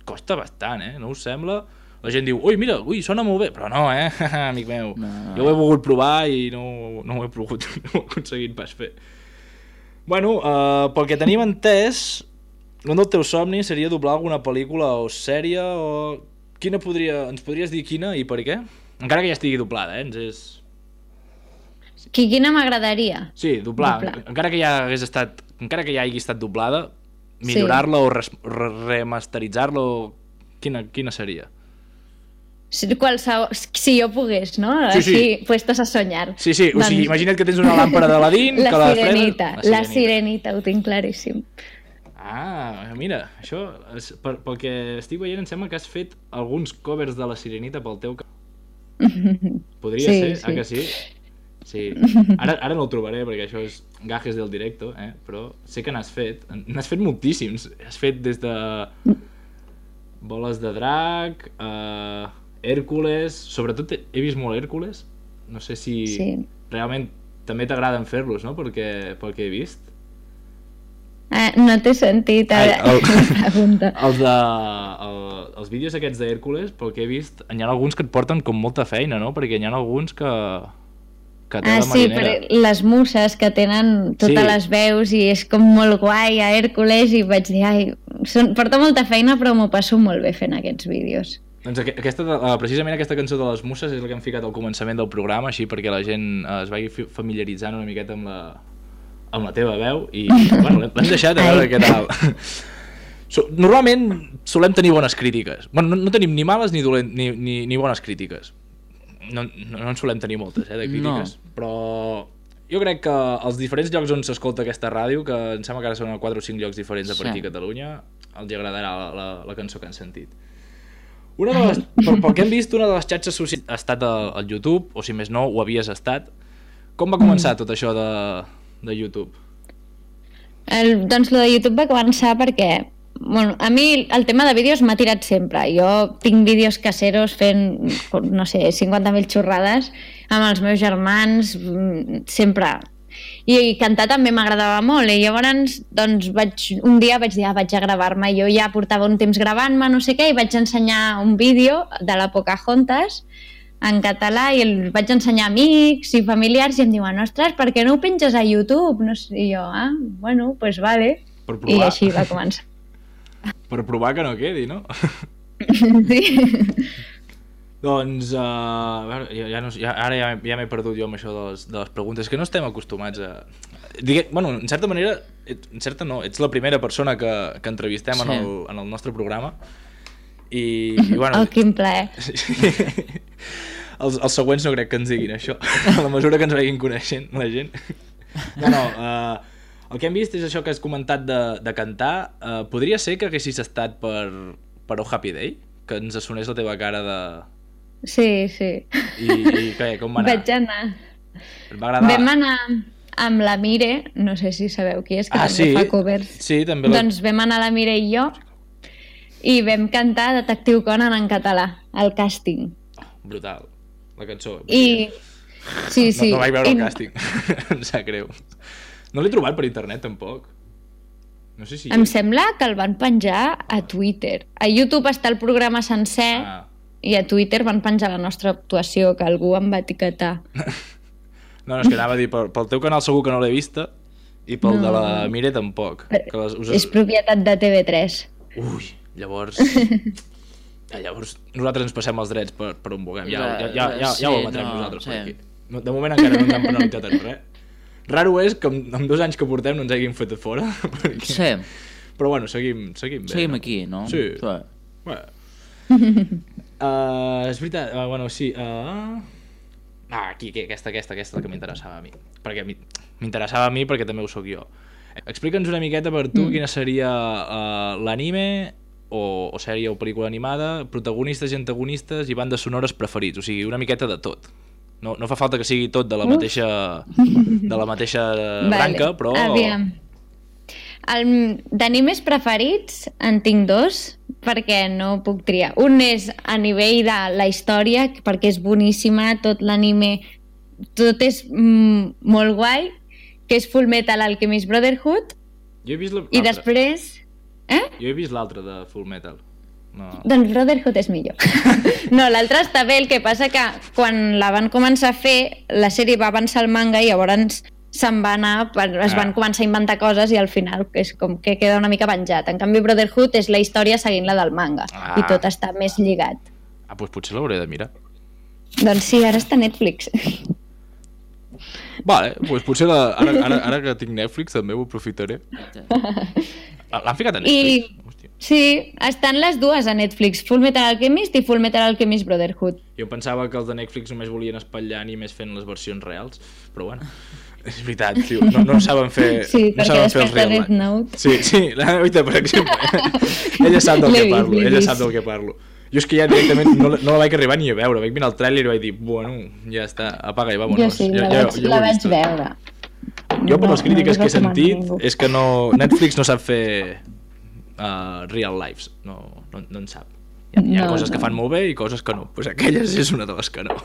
[SPEAKER 2] costa bastant, eh? No us sembla? La gent diu, ui, mira, ui, sona molt bé, però no, eh, amic meu.
[SPEAKER 3] No, no,
[SPEAKER 2] jo ho he volgut provar i no, no ho he pogut, no ho he aconseguit pas fer. Bueno, uh, pel que tenim entès, un dels teus somnis seria doblar alguna pel·lícula o sèrie o... Quina podria... Ens podries dir quina i per què? encara que ja estigui doblada, eh? Ens és...
[SPEAKER 4] Qui, quina m'agradaria?
[SPEAKER 2] Sí, doblar.
[SPEAKER 4] Doblar.
[SPEAKER 2] Encara que ja hagués estat... Encara que ja hagi estat doblada, millorar-la o res, re, remasteritzar-la o... Quina, quina seria?
[SPEAKER 4] Si, qualsevol, si jo pogués, no?
[SPEAKER 2] Sí, sí.
[SPEAKER 4] Així, puestos a soñar.
[SPEAKER 2] Sí, sí, o
[SPEAKER 4] Doncs...
[SPEAKER 2] sigui, imagina't que tens una làmpara d'Aladín...
[SPEAKER 4] La
[SPEAKER 2] que la
[SPEAKER 4] sirenita,
[SPEAKER 2] fredes...
[SPEAKER 4] la sirenita, ho tinc claríssim.
[SPEAKER 2] Ah, mira, això, és, per, pel que estic veient, em sembla que has fet alguns covers de la sirenita pel teu canal. Podria
[SPEAKER 4] Sí,
[SPEAKER 2] ser,
[SPEAKER 4] sí.
[SPEAKER 2] ah que sí? Sí. Ara, ara no el trobaré perquè això és gajes del directo, eh? Però sé que n'has fet. N'has fet moltíssims. Has fet des de Boles de Drac, uh, Hèrcules... Sobretot he he vist molt Hèrcules. No sé si
[SPEAKER 4] Sí.
[SPEAKER 2] realment també t'agraden fer-los, no? Perquè, pel que he vist.
[SPEAKER 4] Ah, no t'he sentit
[SPEAKER 2] Ai,
[SPEAKER 4] ara
[SPEAKER 2] el-
[SPEAKER 4] la pregunta.
[SPEAKER 2] Els, de, el, els vídeos aquests d'Hèrcules, pel que he vist, n'hi ha alguns que et porten com molta feina, no? Perquè n'hi ha alguns que... que té
[SPEAKER 4] Ah,
[SPEAKER 2] la
[SPEAKER 4] sí,
[SPEAKER 2] marinera.
[SPEAKER 4] per les muses que tenen totes
[SPEAKER 2] Sí.
[SPEAKER 4] les veus i és com molt guai a Hèrcules i vaig dir, ai, són, porta molta feina però m'ho passo molt bé fent aquests vídeos.
[SPEAKER 2] Doncs aqu- aquesta, uh, precisament aquesta cançó de les muses és la que hem ficat al començament del programa, així perquè la gent uh, es vagi fi- familiaritzant una miqueta amb la, amb la teva veu i bueno, l'hem l'hem deixat a veure
[SPEAKER 4] Ai.
[SPEAKER 2] què tal. So, normalment solem tenir bones crítiques. Bueno, no, no tenim ni males ni, dolent, ni, ni, ni bones crítiques. No, no, no en solem tenir moltes, eh, de crítiques. No. Però jo crec que els diferents llocs on s'escolta aquesta ràdio, que em sembla que ara són a quatre o cinc llocs diferents a per aquí a Catalunya, els agradarà la, la, la cançó que han sentit. Una de les, pel, pel que hem vist, una de les xarxes socials ha estat al, al YouTube, o si més no, ho havies estat. Com va començar tot això de, de YouTube?
[SPEAKER 4] El, doncs lo de YouTube va començar perquè bueno, a mi el tema de vídeos m'ha tirat sempre. Jo tinc vídeos caseros fent, no sé, cinquanta mil xorrades amb els meus germans, mm, sempre. I, i cantar també m'agradava molt i llavors doncs, vaig, un dia vaig dir, ah, vaig a gravar-me. Jo ja portava un temps gravant-me, no sé què, i vaig ensenyar un vídeo de la Pocahontas en català i el vaig ensenyar a amics i familiars i em diuen, ostres, per què no ho penges a YouTube? No sé, i jo, ah, bueno, doncs pues vale.
[SPEAKER 2] Per
[SPEAKER 4] I
[SPEAKER 2] provar.
[SPEAKER 4] així va començar.
[SPEAKER 2] Per provar que no quedi, no?
[SPEAKER 4] Sí.
[SPEAKER 2] Doncs, uh, a veure, ja, ja no, ja, ara ja, ja m'he perdut jo amb això de les, de les preguntes, que no estem acostumats a... Digue, bueno, en certa manera, et- en certa no, ets la primera persona que, que entrevistem
[SPEAKER 3] Sí.
[SPEAKER 2] en, el, en el nostre programa i, i bueno...
[SPEAKER 4] Oh, quin plaer.
[SPEAKER 2] els, els següents no crec que ens diguin això, a la mesura que ens vagin coneixent la gent. No, no, uh, el que hem vist és això que has comentat de, de cantar. Uh, podria ser que haguessis estat per, per Oh Happy Day? Que ens sonés la teva cara de...
[SPEAKER 4] Sí, sí.
[SPEAKER 2] I, i què, com va anar?
[SPEAKER 4] Vaig anar.
[SPEAKER 2] Et va agradar?
[SPEAKER 4] Vam anar amb la Mire, no sé si sabeu qui és, que
[SPEAKER 2] Ah,
[SPEAKER 4] també
[SPEAKER 2] sí?
[SPEAKER 4] fa covers.
[SPEAKER 2] Sí, també la...
[SPEAKER 4] Doncs vam anar la Mire i jo i vam cantar Detectiu Conan en català, al càsting.
[SPEAKER 2] Brutal, la cançó.
[SPEAKER 4] I... Sí, sí.
[SPEAKER 2] No, no vaig veure el
[SPEAKER 4] I-
[SPEAKER 2] càsting, em sap greu. No l'he trobat per internet, tampoc. No sé si...
[SPEAKER 4] Em sembla que el van penjar a Twitter. A YouTube està el programa sencer
[SPEAKER 2] Ah.
[SPEAKER 4] i a Twitter van penjar la nostra actuació, que algú em va etiquetar.
[SPEAKER 2] No, no, és que anava a dir, pel, pel teu canal segur que no l'he vista i pel
[SPEAKER 4] No.
[SPEAKER 2] de la Mire tampoc. Que les, us...
[SPEAKER 4] És propietat de T V tres.
[SPEAKER 2] Ui, llavors... Eh, llavors nosaltres ens passem els drets per, per on vulguem. Ja, ja, ja, ja, ja ho
[SPEAKER 3] Sí,
[SPEAKER 2] emetrem
[SPEAKER 3] no,
[SPEAKER 2] nosaltres per
[SPEAKER 3] sí.
[SPEAKER 2] aquí. No, de moment encara no ens han penalitzat en res. Raro és que amb, amb dos anys que portem no ens hagin fet a fora. Perquè...
[SPEAKER 3] Sí,
[SPEAKER 2] Però bueno, seguim, seguim bé.
[SPEAKER 3] seguim
[SPEAKER 2] no?
[SPEAKER 3] aquí, no?
[SPEAKER 2] Sí.
[SPEAKER 3] Sí.
[SPEAKER 2] Bueno. uh, és veritat, uh, bueno, sí. Uh... Ah, aquí, aquí, aquesta, aquesta, aquesta és la que m'interessava a mi. Perquè mi- m'interessava a mi perquè també ho sóc jo. Explica'ns una miqueta per tu mm. quina seria uh, l'anime o, o sèrie o pel·lícula animada, protagonistes i antagonistes i bandes sonores preferits, o sigui, una miqueta de tot. No, no fa falta que sigui tot de la mateixa, de la mateixa branca, però...
[SPEAKER 4] Aviam. El, d'animes preferits en tinc dos, perquè no puc triar. Un és a nivell de la història, perquè és boníssima, tot l'anime, tot és mm, molt guai, que és Full Metal Alchemist Brotherhood,
[SPEAKER 2] Jo he vist la-
[SPEAKER 4] i
[SPEAKER 2] l'altre.
[SPEAKER 4] després... Eh?
[SPEAKER 2] Jo he vist l'altre de Full Metal. No.
[SPEAKER 4] Doncs Brotherhood és millor. No, l'altre està bé, el que passa que quan la van començar a fer, la sèrie va avançar el manga i llavors se'n va anar, per, es van
[SPEAKER 2] Ah.
[SPEAKER 4] començar a inventar coses i al final és com que queda una mica penjat. En canvi, Brotherhood és la història seguint la del manga
[SPEAKER 2] Ah.
[SPEAKER 4] i tot està més lligat.
[SPEAKER 2] Ah, doncs potser l'hauré de mirar.
[SPEAKER 4] Doncs sí, ara està a Netflix.
[SPEAKER 2] Vale, doncs potser la, ara, ara, ara que tinc Netflix també ho aprofitaré. L'han ficat a Netflix?
[SPEAKER 4] I sí, estan les dues a Netflix, Full Metal Alchemist i Full Metal Alchemist Brotherhood.
[SPEAKER 2] Jo pensava que els de Netflix només volien espatllar animes fent les versions reals, però bueno, és veritat, tio, no, no saben fer,
[SPEAKER 4] Sí,
[SPEAKER 2] no
[SPEAKER 4] perquè
[SPEAKER 2] saben fer
[SPEAKER 4] després
[SPEAKER 2] els
[SPEAKER 4] de
[SPEAKER 2] real
[SPEAKER 4] Death
[SPEAKER 2] life.
[SPEAKER 4] Note.
[SPEAKER 2] Sí, sí, la Noita, per exemple, ella sap del
[SPEAKER 4] L'he
[SPEAKER 2] que
[SPEAKER 4] vist,
[SPEAKER 2] parlo,
[SPEAKER 4] l'he
[SPEAKER 2] ella
[SPEAKER 4] vist.
[SPEAKER 2] sap del que parlo. Jo és que ja directament no, la- no la vaig arribar ni a veure, vaig mirar el tràiler i vaig dir, bueno, ja està, apaga i vámonos.
[SPEAKER 4] Jo sí, la
[SPEAKER 2] ja,
[SPEAKER 4] vaig,
[SPEAKER 2] ja ho
[SPEAKER 4] la
[SPEAKER 2] he
[SPEAKER 4] vaig
[SPEAKER 2] vist tot.
[SPEAKER 4] veure.
[SPEAKER 2] Jo per
[SPEAKER 4] No-
[SPEAKER 2] les crítiques
[SPEAKER 4] no
[SPEAKER 2] que he
[SPEAKER 4] us recomano
[SPEAKER 2] sentit
[SPEAKER 4] ningú.
[SPEAKER 2] és que no, Netflix no sap fer uh, real lives, no, no, no en sap. Hi ha, hi ha
[SPEAKER 4] No,
[SPEAKER 2] coses que
[SPEAKER 4] no.
[SPEAKER 2] fan molt bé i coses que no, pues aquelles és una de les que no.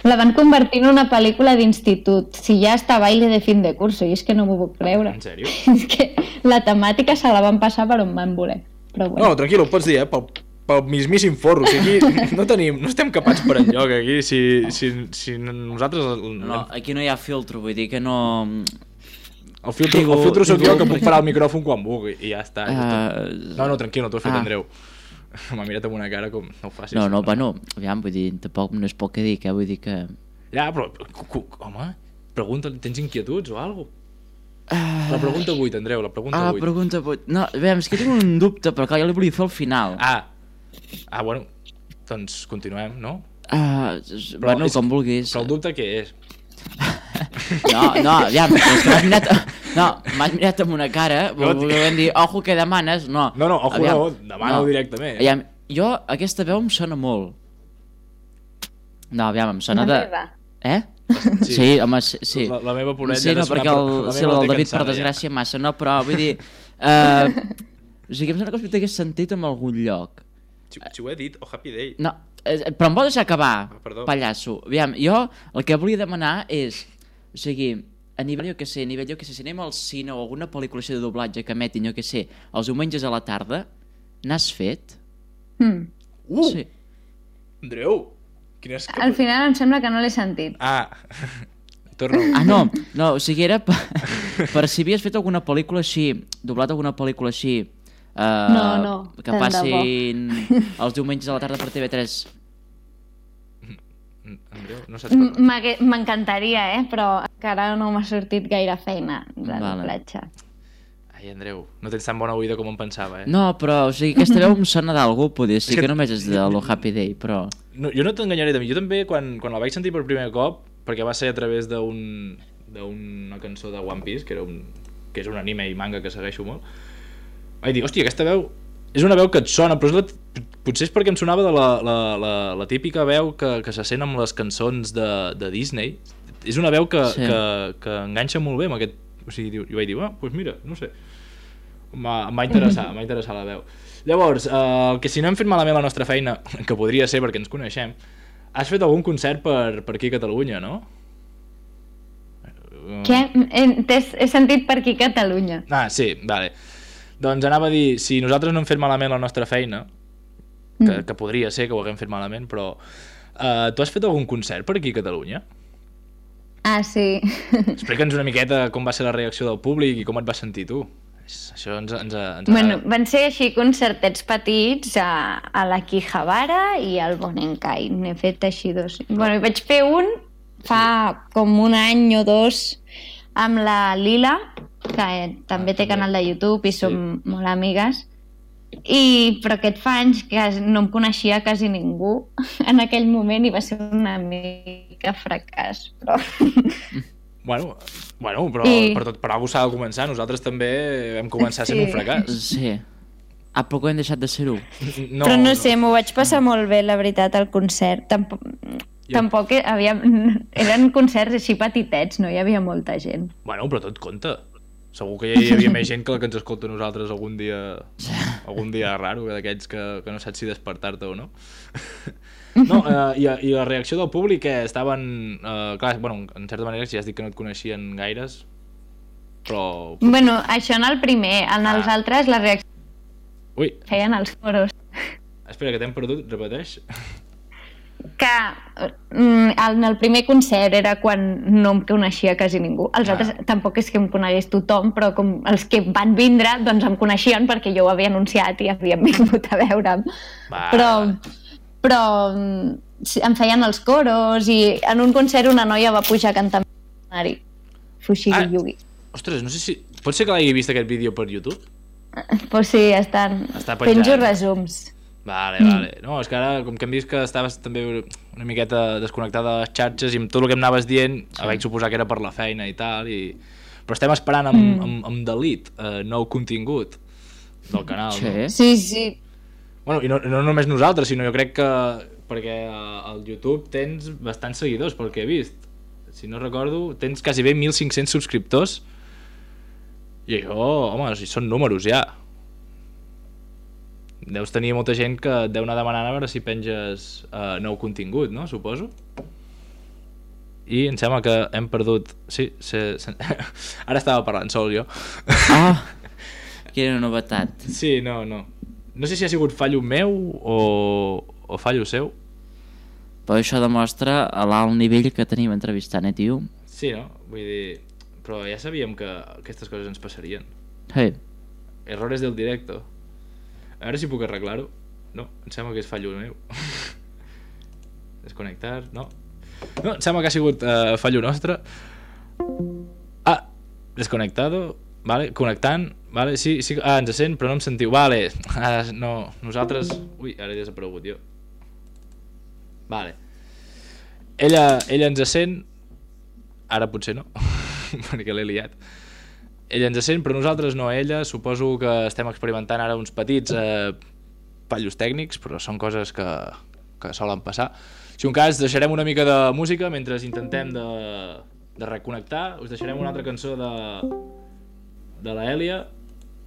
[SPEAKER 4] La van convertir en una pel·lícula d'institut. Si ja està baile de fin de curso, i és que no m'ho puc creure.
[SPEAKER 2] En sèrio?
[SPEAKER 4] És que la temàtica se la van passar per on van voler. Però bueno.
[SPEAKER 2] No, tranquil, ho pots dir, eh, pel, pel mismíssim forro, o sigui, aquí no tenim, no estem capats per enlloc, aquí, si, si, si nosaltres...
[SPEAKER 3] No, aquí no hi ha filtro, vull dir que no...
[SPEAKER 2] El filtro,
[SPEAKER 3] Digo-
[SPEAKER 2] el filtro soc
[SPEAKER 3] digo-
[SPEAKER 2] jo, que puc parar el micròfon quan vulgui, i ja està. ja està.
[SPEAKER 3] Uh,
[SPEAKER 2] No, no, tranquil, no t'ho has fet,
[SPEAKER 3] ah.
[SPEAKER 2] Andreu. M'ha mirat amb una cara com... No ho facis.
[SPEAKER 3] No, no, bueno, aviam, vull dir, tampoc no és poc que dir, eh? Vull dir que...
[SPEAKER 2] Ja, però, cu- cu- home, pregunta, tens inquietuds o alguna cosa?
[SPEAKER 3] Uh,
[SPEAKER 2] La pregunta vuit, Andreu, la pregunta
[SPEAKER 3] ah,
[SPEAKER 2] vuit.
[SPEAKER 3] pregunta vuit. No, aviam, és que tinc un dubte, però clar, jo li volia fer al final.
[SPEAKER 2] Ah, ah, bueno, doncs continuem, no?
[SPEAKER 3] Uh, bueno,
[SPEAKER 2] és-
[SPEAKER 3] com vulguis.
[SPEAKER 2] Però el dubte què és?
[SPEAKER 3] No, no, aviam, és que m'has mirat... No, m'has mirat amb una cara,
[SPEAKER 2] No,
[SPEAKER 3] vol- volent dir, ojo que demanes, no.
[SPEAKER 2] No, no, ojo,
[SPEAKER 3] Aviam,
[SPEAKER 2] no, demana-ho directament.
[SPEAKER 3] Aviam, jo, aquesta veu em sona molt. No, aviam, em sona
[SPEAKER 4] La
[SPEAKER 3] de...
[SPEAKER 4] meva.
[SPEAKER 3] Eh?
[SPEAKER 2] Sí.
[SPEAKER 3] Sí, home, sí. sí.
[SPEAKER 2] La, la meva porella
[SPEAKER 3] Sí, no, perquè el, sí, el David, per desgràcia, massa, no, però vull dir... Uh, o sigui, em sembla que t'hagués sentit en algun lloc.
[SPEAKER 2] Si, si ho he dit, o Happy Day.
[SPEAKER 3] No, eh, però em vols deixar acabar,
[SPEAKER 2] Ah, perdó.
[SPEAKER 3] pallasso. Aviam, jo el que volia demanar és, o sigui, a nivell, jo què sé, a nivell, jo què sé, si anem al cine o alguna pel·lícula així de doblatge que emetin, jo què sé, els diumenges a la tarda, n'has fet?
[SPEAKER 4] Hmm.
[SPEAKER 2] Uh,
[SPEAKER 3] Sí.
[SPEAKER 2] Andreu, quines...
[SPEAKER 4] Al final em sembla que no l'he sentit.
[SPEAKER 2] Ah, torna.
[SPEAKER 3] Ah, no, no, o sigui, era per, per si havies fet alguna pel·lícula així, doblat alguna pel·lícula així, uh,
[SPEAKER 4] No, no,
[SPEAKER 3] que
[SPEAKER 4] tant de bo.
[SPEAKER 3] passin els diumenges a la tarda per T V tres.
[SPEAKER 2] Andreu, no saps
[SPEAKER 4] M-
[SPEAKER 2] parlar.
[SPEAKER 4] m'hagué- M'encantaria, eh? Però encara no m'ha sortit gaire feina de
[SPEAKER 3] Vale.
[SPEAKER 4] doblatge.
[SPEAKER 2] Ai, Andreu, no tens tan bona oïda com em pensava, eh?
[SPEAKER 3] No, però, o sigui, aquesta veu em sona d'algú, poder
[SPEAKER 2] És
[SPEAKER 3] ser, que,
[SPEAKER 2] que-
[SPEAKER 3] que només és de lo Happy Day, però...
[SPEAKER 2] No, jo no t'enganyaré de mi. Jo també, quan, quan la vaig sentir per primer cop, perquè va ser a través d'un d'una cançó de One Piece, que, era un, que és un anime i manga que segueixo molt, vaig dir, hòstia, aquesta veu és una veu que et sona, però és la, potser és perquè em sonava de la, la, la, la típica veu que, que se sent amb les cançons de, de Disney. És una veu que,
[SPEAKER 3] Sí.
[SPEAKER 2] que, que enganxa molt bé amb aquest... O sigui, jo vaig dir, ah, doncs mira, no sé. M'ha em va interessar, em va interessar la veu. Llavors, eh, que si no hem fet malament la nostra feina, que podria ser perquè ens coneixem, has fet algun concert per, per aquí a Catalunya, no? Eh,
[SPEAKER 4] Què? He, t'he- he sentit per aquí a Catalunya.
[SPEAKER 2] Ah, sí, vale. Doncs anava a dir, si nosaltres no hem fet malament la nostra feina, que,
[SPEAKER 4] Mm.
[SPEAKER 2] que podria ser que ho haguem fet malament, però eh, tu has fet algun concert per aquí a Catalunya?
[SPEAKER 4] Ah, sí.
[SPEAKER 2] Explica'ns una miqueta com va ser la reacció del públic i com et vas sentir tu. És- Això ens, ens, ens
[SPEAKER 4] Bueno,
[SPEAKER 2] agrada.
[SPEAKER 4] van ser així concertets petits a, a la Quijabara i al Bonenkai. N'he fet així dos. Bueno, i vaig fer un fa com un any o dos amb la Lila, que també té canal de YouTube i som molt amigues. I, però aquest fa anys que no em coneixia quasi ningú en aquell moment i va ser una mica fracàs. Però...
[SPEAKER 2] Bueno, bueno però
[SPEAKER 4] I-
[SPEAKER 2] per, tot, per alguna s'ha de començar. Nosaltres també vam començar sent
[SPEAKER 4] Sí.
[SPEAKER 2] un fracàs.
[SPEAKER 3] Sí. Ah, però que hem deixat de ser-ho.
[SPEAKER 2] No,
[SPEAKER 4] Però no sé, m'ho vaig passar molt bé, la veritat, al concert. Tampoc,
[SPEAKER 2] Jo-
[SPEAKER 4] tampoc hi havia... Eren concerts així petitets, no hi havia molta gent.
[SPEAKER 2] Bueno, però tot compta. Segur que hi havia més gent que la que ens escolta a nosaltres algun dia algun dia raro, d'aquests que, que no saps si despertar-te o no. No, eh, i, i la reacció del públic, que estaven... Eh, clar, bueno, en certa manera, si ja has dit que no et coneixien gaires, però...
[SPEAKER 4] Bueno, això en el primer. En els
[SPEAKER 2] Ah.
[SPEAKER 4] altres la reacció
[SPEAKER 2] Ui,
[SPEAKER 4] feien els coros.
[SPEAKER 2] espera, que t'hem perdut, repeteix.
[SPEAKER 4] Que mm, en el primer concert era quan no em coneixia quasi ningú. Els
[SPEAKER 2] Ah.
[SPEAKER 4] altres tampoc és que em conegués tothom, però com els que van vindre doncs em coneixien perquè jo ho havia anunciat i havien vingut a veure'm.
[SPEAKER 2] Va.
[SPEAKER 4] Però, però mm, sí, em feien els coros i en un concert una noia va pujar a cantar amb l'escenari. Fushigi
[SPEAKER 2] Ah.
[SPEAKER 4] Yugi.
[SPEAKER 2] Ostres, no sé si... Pot ser que l'hagi vist aquest vídeo per YouTube?
[SPEAKER 4] Pues sí, estan...
[SPEAKER 2] Està penjat.
[SPEAKER 4] Penjo resums.
[SPEAKER 2] Vale, vale. No, és que ara, com que hem vist que estaves també una miqueta desconnectada de les xarxes i amb tot el que em anaves dient, sí. vaig suposar que era per la feina i tal, i... però estem esperant amb, mm. amb, amb Dalit, eh, nou contingut del canal,
[SPEAKER 3] Sí.
[SPEAKER 2] no?
[SPEAKER 4] Sí, sí.
[SPEAKER 2] Bueno, i no, no només nosaltres, sinó jo crec que perquè al YouTube tens bastants seguidors, pel que he vist. Si no recordo, tens quasi bé mil cinc-cents subscriptors i això, home, són números ja. Deus tenir molta gent que et deu anar demanant a veure si penges uh, nou contingut, no? Suposo. I em sembla que hem perdut... Sí, se, se... ara estava parlant sol jo.
[SPEAKER 3] Ah, quina novetat.
[SPEAKER 2] Sí, no, no. No sé si ha sigut fallo meu o, o fallo seu.
[SPEAKER 3] Però això demostra l'alt nivell que tenim entrevistant, eh, tio?
[SPEAKER 2] Sí, no? Vull dir... Però ja sabíem que aquestes coses ens passarien.
[SPEAKER 3] Hey.
[SPEAKER 2] Errores del directo. A veure si puc arreglar-ho. No, em sembla que és fallo meu. Desconnectar, no. No, em sembla que ha sigut uh, fallo nostre. Ah, desconnectado. Vale, connectant. Vale, sí, sí. Ah, ens sent, però no em sentiu. Vale, ah, no, nosaltres... Ui, ara he desaparegut jo. Vale. Ella, ella ens sent. Ara potser no, perquè l'he liat. Ella ens sent, però nosaltres no. Ella, suposo que estem experimentant ara uns petits eh, fallos tècnics, però són coses que, que solen passar. Si un cas, deixarem una mica de música mentre intentem de, de reconnectar. Us deixarem una altra cançó de, de la Èlia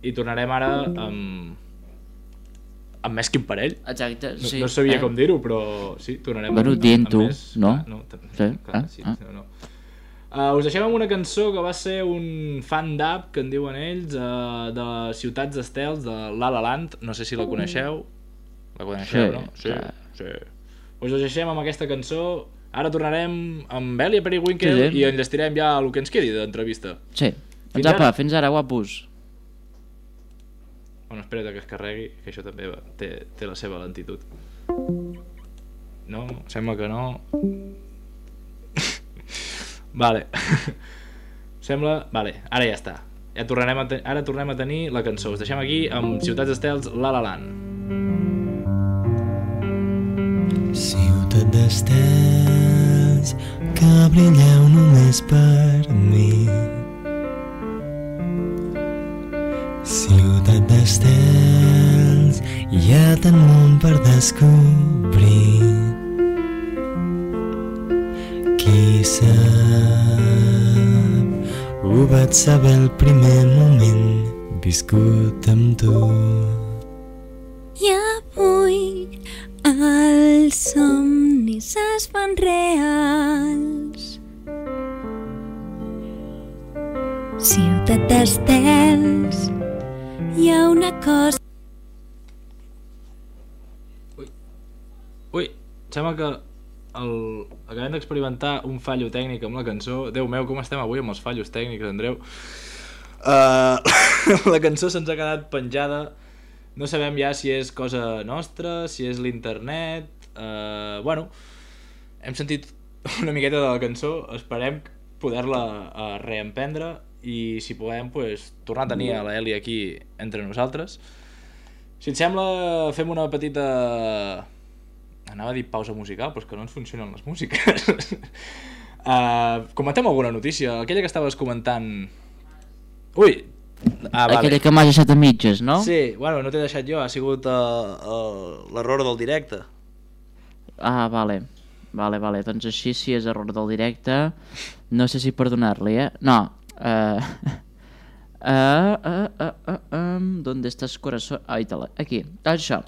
[SPEAKER 2] i tornarem ara amb, amb més que un parell.
[SPEAKER 3] Exacte,
[SPEAKER 2] No,
[SPEAKER 3] sí.
[SPEAKER 2] no sabia
[SPEAKER 3] eh?
[SPEAKER 2] com dir-ho, però sí, tornarem
[SPEAKER 3] Bueno,
[SPEAKER 2] amb,
[SPEAKER 3] dient
[SPEAKER 2] amb
[SPEAKER 3] tu,
[SPEAKER 2] més...
[SPEAKER 3] no?
[SPEAKER 2] Ah, no, t-
[SPEAKER 3] Sí,
[SPEAKER 2] clar,
[SPEAKER 3] ah,
[SPEAKER 2] sí,
[SPEAKER 3] ah.
[SPEAKER 2] no, no. Uh, us deixem amb una cançó que va ser un fan d'app, que en diuen ells, uh, de les Ciutats Estels, de La La Land. No sé si la coneixeu. La coneixeu,
[SPEAKER 3] Sí,
[SPEAKER 2] no? Sí,
[SPEAKER 3] clar.
[SPEAKER 2] sí. Us deixem amb aquesta cançó. Ara tornarem amb Èlia Periwinkle
[SPEAKER 3] Sí, sí.
[SPEAKER 2] i enllestirem ja el que ens quedi d'entrevista.
[SPEAKER 3] Sí.
[SPEAKER 2] Fins
[SPEAKER 3] Doncs apa,
[SPEAKER 2] ara.
[SPEAKER 3] fins ara, guapos.
[SPEAKER 2] Bueno, espera't que es carregui, que això també va, té, té la seva lentitud. No? Sembla que no. Vale. Sembla... Vale, ara ja està. Ja tornarem a ten... Ara tornem a tenir la cançó. Us deixem aquí amb Ciutats Estels, La La Land.
[SPEAKER 5] Ciutat d'estels que brilleu només per mi. Ciutat d'estels, hi ha tant món per descobrir. Qui sap, ho vaig saber el primer moment viscut amb tu.
[SPEAKER 1] I avui els somnis es fan reals. Ciutat d'estels, hi ha una cosa...
[SPEAKER 2] Ui, sembla que el... acabem d'experimentar un fallo tècnic amb la cançó. Déu meu, com estem avui amb els fallos tècnics, Andreu? Uh, la cançó se'ns ha quedat penjada. No sabem ja si és cosa nostra, si és l'internet... Uh, bueno, hem sentit una miqueta de la cançó. Esperem poder-la uh, reemprendre i si podem, pues, tornar a tenir a la Èlia aquí entre nosaltres. Si et sembla, fem una petita... Anava a dir pausa musical, però és que no ens funcionen les músiques. uh, comentem alguna notícia. Aquella que estaves comentant... Ui! Ah, vale.
[SPEAKER 3] Aquella que m'has deixat a mitges, no?
[SPEAKER 2] Sí, bueno, no t'he deixat jo, ha sigut uh, uh, l'error del directe.
[SPEAKER 3] Ah, vale. Vale, vale. Doncs així, si és error del directe, no sé si perdonar-li, eh? No. Uh, uh, uh, uh, uh, um, ¿Dónde estàs, corazón? Ah, aquí. Això.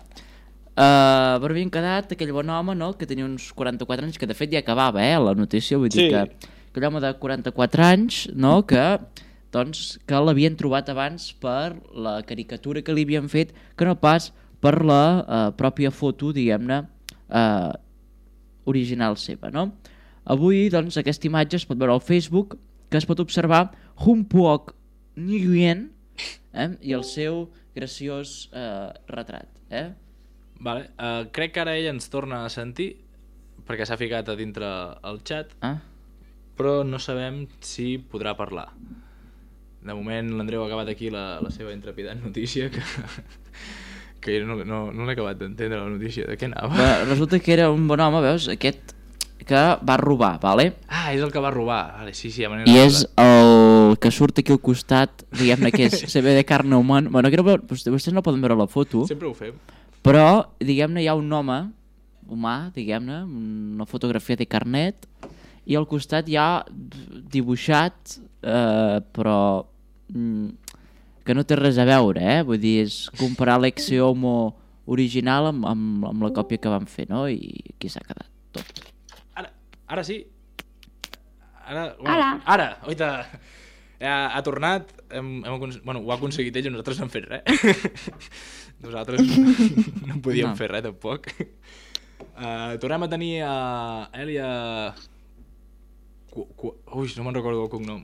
[SPEAKER 3] Uh, però havien quedat aquell bon home, no?, que tenia uns quaranta-quatre anys, que de fet ja acabava, eh, la notícia, vull dir
[SPEAKER 2] Sí.
[SPEAKER 3] que aquell home de quaranta-quatre anys, no?, que, doncs, que l'havien trobat abans per la caricatura que li havien fet, que no pas per la uh, pròpia foto, diguem-ne, uh, original seva, no? Avui, doncs, aquesta imatge es pot veure al Facebook, que es pot observar Humpuok Nguyen, eh, i el seu graciós uh, retrat, eh?
[SPEAKER 2] Vale, uh, crec que ara ella ens torna a sentir, perquè s'ha ficat a dintre el xat,
[SPEAKER 3] Ah?
[SPEAKER 2] però no sabem si podrà parlar. De moment l'Andreu ha acabat aquí la, la seva intrepidant notícia, que, que jo no, no, no l'he acabat d'entendre, la notícia. De què anava?
[SPEAKER 3] Va, resulta que era un bon home, veus? Aquest que va robar, vale?
[SPEAKER 2] Ah, és el que va robar. Vale, sí, sí, ja me n'he
[SPEAKER 3] I és
[SPEAKER 2] recordat.
[SPEAKER 3] el que surt aquí al costat, diguem-ne que és, se ve de carne humana. Bueno, que no, vostès no poden veure la foto,
[SPEAKER 2] Sempre ho fem.
[SPEAKER 3] però, diguem-ne, hi ha un home, humà, diguem-ne, una fotografia de carnet, i al costat hi ha dibuixat, eh, però mm, que no té res a veure, eh? Vull dir, és comparar l'ex Homo original amb, amb, amb la còpia que van fer, no? I aquí s'ha quedat tot.
[SPEAKER 2] Ara, ara sí. Ara, bueno,
[SPEAKER 4] Ara.
[SPEAKER 2] Ara, oita. Ha, ha tornat, hem, hem, acon- bueno, ho ha aconseguit ell i nosaltres no hem fet res. Nosaltres no, no podíem
[SPEAKER 3] No.
[SPEAKER 2] fer res, tampoc. Uh, tornem a tenir a Elia... Cu, cu, ui, no me'n recordo el cognom.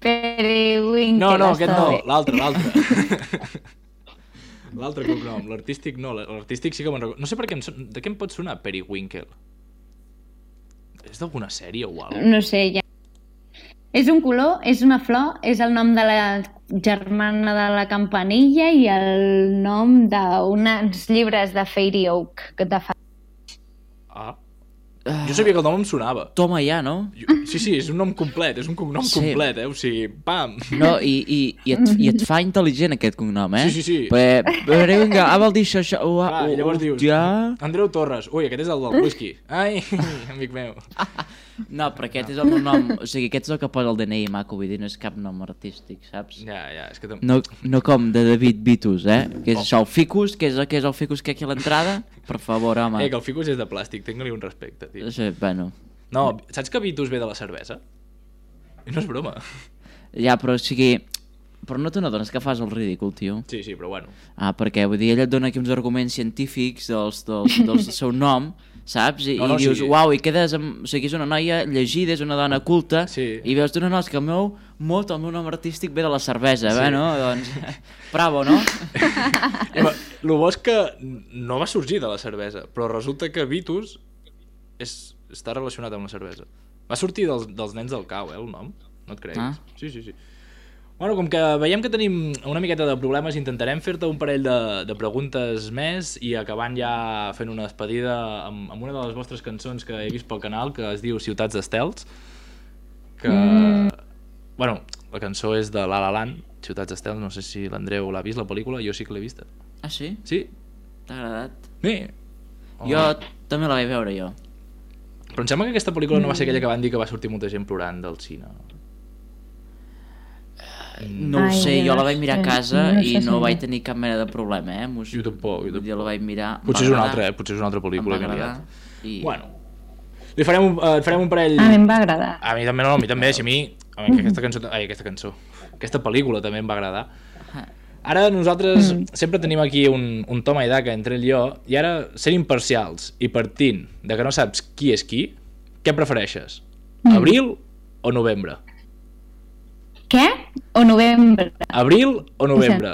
[SPEAKER 4] Periwinkle.
[SPEAKER 2] No, no, aquest
[SPEAKER 4] està
[SPEAKER 2] no,
[SPEAKER 4] bé.
[SPEAKER 2] l'altre, l'altre. L'altre cognom, l'artístic no, l'artístic sí que me'n recordo. No sé per què em son... de què em pot sonar Periwinkle? És d'alguna sèrie o alguna cosa?
[SPEAKER 4] No sé, ja. És un color, és una flor, és el nom de la germana de la campanilla i el nom d'uns llibres de Fairy Oak que te fa...
[SPEAKER 2] Ah. Jo sabia que el nom em sonava.
[SPEAKER 3] Toma ja, no?
[SPEAKER 2] Jo, sí, sí, és un nom complet, és un cognom
[SPEAKER 3] Sí.
[SPEAKER 2] complet, eh? O sigui, pam!
[SPEAKER 3] No, i, i, i, et, i et fa intel·ligent aquest cognom, eh?
[SPEAKER 2] Sí, sí, sí.
[SPEAKER 3] Perquè, perquè vinga, ah, vol dir això, això... Oh,
[SPEAKER 2] Clar,
[SPEAKER 3] oh,
[SPEAKER 2] i llavors dius,
[SPEAKER 3] ja...
[SPEAKER 2] Andreu Torres, ui, aquest és el del whisky. Ai, amic meu.
[SPEAKER 3] No, però aquest és el meu nom, o sigui, aquest és el que posa el D N I maco, vull dir, no és cap nom artístic, saps?
[SPEAKER 2] Ja, ja, és que... tam-
[SPEAKER 3] No, no com de David Vitus, eh? Que és això, el ficus, que és, que és el ficus que aquí a l'entrada? Per favor, home.
[SPEAKER 2] Eh, que el ficus és de plàstic, tinc-li un respecte, tio.
[SPEAKER 3] Sí, bueno,
[SPEAKER 2] No, saps que Vitus ve de la cervesa? I no és broma.
[SPEAKER 3] ja, però o sigui... Però no te n'adones que fas el ridícul, tio?
[SPEAKER 2] Sí, sí, però bueno.
[SPEAKER 3] Ah, perquè, vull dir, ell et dona aquí uns arguments científics dels, dels, dels del seu nom, saps? I,
[SPEAKER 2] No, no,
[SPEAKER 3] i dius,
[SPEAKER 2] sí.
[SPEAKER 3] uau, i quedes amb... O sigui, és una noia llegida, és una dona culta,
[SPEAKER 2] Sí.
[SPEAKER 3] i veus, tu no, no, és que el meu mot, el meu nom artístic ve de la cervesa,
[SPEAKER 2] Sí.
[SPEAKER 3] sí. Bueno, doncs... Bravo, no?
[SPEAKER 2] El bo és que no va sorgir de la cervesa, però resulta que Vitus és, està relacionat amb la cervesa. Va sortir dels, dels nens del cau, eh, el nom? No et creguis.
[SPEAKER 3] Ah.
[SPEAKER 2] Sí, sí, sí. Bueno, com que veiem que tenim una miqueta de problemes, intentarem fer-te un parell de, de preguntes més i acabant ja fent una despedida amb, amb una de les vostres cançons que he vist pel canal, que es diu Ciutats d'Estels, que... Mm. Bueno, la cançó és de La La Land, Ciutats d'Estels, no sé si l'Andreu l'ha vist, la pel·lícula, jo sí que l'he vista.
[SPEAKER 3] Ah, sí?
[SPEAKER 2] Sí?
[SPEAKER 3] T'ha agradat?
[SPEAKER 2] Sí.
[SPEAKER 3] Jo també la vaig veure, jo.
[SPEAKER 2] Però em sembla que aquesta pel·lícula no va ser aquella que van dir que va sortir molta gent plorant del cine.
[SPEAKER 3] No ho
[SPEAKER 4] Ai,
[SPEAKER 3] sé, jo
[SPEAKER 4] no
[SPEAKER 3] la vaig mirar a
[SPEAKER 4] sé,
[SPEAKER 3] casa
[SPEAKER 4] no
[SPEAKER 3] i
[SPEAKER 4] sé
[SPEAKER 3] no
[SPEAKER 4] si-
[SPEAKER 3] vaig tenir cap mena de problema, eh? M'ho-
[SPEAKER 2] Jo tampoc, jo
[SPEAKER 3] vull dir,
[SPEAKER 2] tampoc.
[SPEAKER 3] la vaig mirar...
[SPEAKER 2] Potser és
[SPEAKER 3] em
[SPEAKER 2] una
[SPEAKER 3] va
[SPEAKER 2] altra, eh?
[SPEAKER 3] agradar,
[SPEAKER 2] Potser és una altra pel·lícula
[SPEAKER 3] em
[SPEAKER 2] que
[SPEAKER 3] va
[SPEAKER 2] he
[SPEAKER 3] agradar,
[SPEAKER 2] liat.
[SPEAKER 3] i...
[SPEAKER 2] Bueno, li farem un, eh, et farem un parell...
[SPEAKER 4] A mi em va agradar.
[SPEAKER 2] A mi també no, a mi també, si a mi... A mi aquesta cançó... Ai, aquesta cançó. Aquesta pel·lícula també em va agradar. Ara nosaltres mm. sempre tenim aquí un, un toma i daca entre ell i jo, i ara, sent imparcials i partint de que no saps qui és qui, què prefereixes?
[SPEAKER 4] Mm.
[SPEAKER 2] Abril o novembre?
[SPEAKER 4] Què? O novembre?
[SPEAKER 2] Abril o novembre?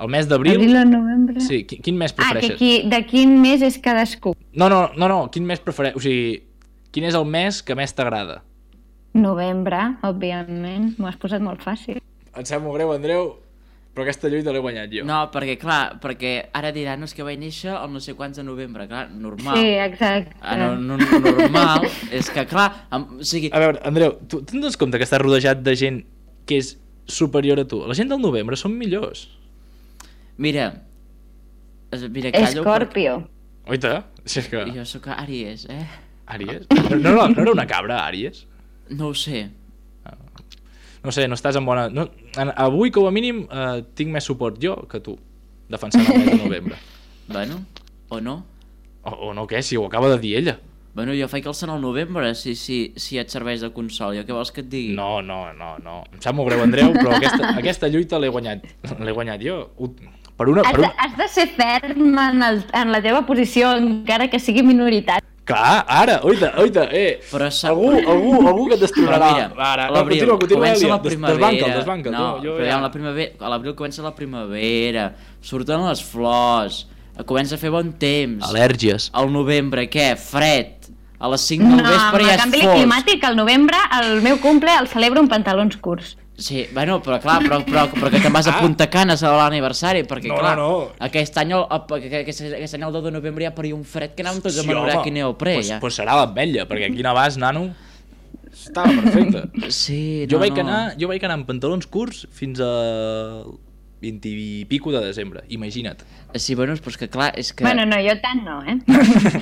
[SPEAKER 2] El mes d'abril?
[SPEAKER 4] Abril o novembre?
[SPEAKER 2] Sí, qui- quin mes
[SPEAKER 4] Ah, que
[SPEAKER 2] prefereixes?
[SPEAKER 4] qui, de quin mes és cadascú?
[SPEAKER 2] No, no, no, no, quin mes prefereixes? O sigui, quin és el mes que més t'agrada?
[SPEAKER 4] Novembre, òbviament. M'ho has posat molt fàcil.
[SPEAKER 2] Em sap molt greu, Andreu, però aquesta lluita l'he guanyat jo.
[SPEAKER 3] No, perquè, clar, perquè ara diran, no, és que vaig néixer el no sé quants de novembre, clar, normal.
[SPEAKER 4] Sí, exacte.
[SPEAKER 3] Ah, no, no, normal, és que, clar, amb, o sigui,
[SPEAKER 2] A veure, Andreu, tu te'n dones compte que estàs rodejat de gent que és superior a tu? La gent del novembre són millors.
[SPEAKER 3] mira, es- mira, callo,
[SPEAKER 4] Escorpio.
[SPEAKER 2] Oita, si és que...
[SPEAKER 3] perquè jo sóc Àries, eh?
[SPEAKER 2] Àries? No, no, no era una cabra, Àries?
[SPEAKER 3] No ho sé.
[SPEAKER 2] No sé, no estàs en bona... No, en, avui, com a mínim, eh, tinc més suport jo que tu, defensant el mes de novembre.
[SPEAKER 3] Bueno, o no?
[SPEAKER 2] O, o no, què? Si ho acaba de dir ella.
[SPEAKER 3] Bueno, jo faig el sant al novembre, si, si, si et serveix de consol. Jo què vols que et digui?
[SPEAKER 2] No, no, no, no. Em sap molt greu, Andreu, però aquesta, aquesta lluita l'he guanyat. L'he guanyat jo. Ho- Per una...
[SPEAKER 4] Has
[SPEAKER 2] Per
[SPEAKER 4] de,
[SPEAKER 2] una...
[SPEAKER 4] has de ser ferm en, el, en la teva posició, encara que sigui minoritari.
[SPEAKER 2] Clar, ara, oita, oita, eh.
[SPEAKER 3] Però sap-
[SPEAKER 2] Algú, algú, algú que et
[SPEAKER 3] Però
[SPEAKER 2] destronarà.
[SPEAKER 3] mira,
[SPEAKER 2] Ara, no,
[SPEAKER 3] l'abril,
[SPEAKER 2] continua, continua,
[SPEAKER 3] comença
[SPEAKER 2] Elia.
[SPEAKER 3] la
[SPEAKER 2] Des-
[SPEAKER 3] primavera.
[SPEAKER 2] Desbanca'l, desbanca'l.
[SPEAKER 3] No,
[SPEAKER 2] tu, jo
[SPEAKER 3] però
[SPEAKER 2] ja...
[SPEAKER 3] ja... la primavera, a l'abril comença la primavera, surten les flors, comença a fer bon temps.
[SPEAKER 2] Al·lèrgies.
[SPEAKER 3] Al novembre, què? Fred. A les cinc del
[SPEAKER 4] No, amb
[SPEAKER 3] vespre
[SPEAKER 4] el
[SPEAKER 3] ja és
[SPEAKER 4] canvi
[SPEAKER 3] fosc.
[SPEAKER 4] climàtic, al novembre, el meu cumple el celebro en pantalons curts.
[SPEAKER 3] Sí, bueno, però clar, però, però, però que te'n vas a Punta Cana a celebrar l'aniversari, perquè
[SPEAKER 2] No,
[SPEAKER 3] clar,
[SPEAKER 2] no, no.
[SPEAKER 3] aquest any, el, el, aquest, aquest any el deu de novembre ja paria un fred que anàvem tots a Manorac i neoprè,
[SPEAKER 2] pues,
[SPEAKER 3] ja.
[SPEAKER 2] pues serà l'ametlla, perquè aquí no vas, nano, estava perfecte.
[SPEAKER 3] Sí,
[SPEAKER 2] jo,
[SPEAKER 3] no,
[SPEAKER 2] vaig
[SPEAKER 3] no.
[SPEAKER 2] anar, jo vaig anar amb pantalons curts fins a vint i pico de desembre, imagina't.
[SPEAKER 3] Sí, bueno, però és que clar, és que...
[SPEAKER 4] Bueno, no, jo tant no, eh?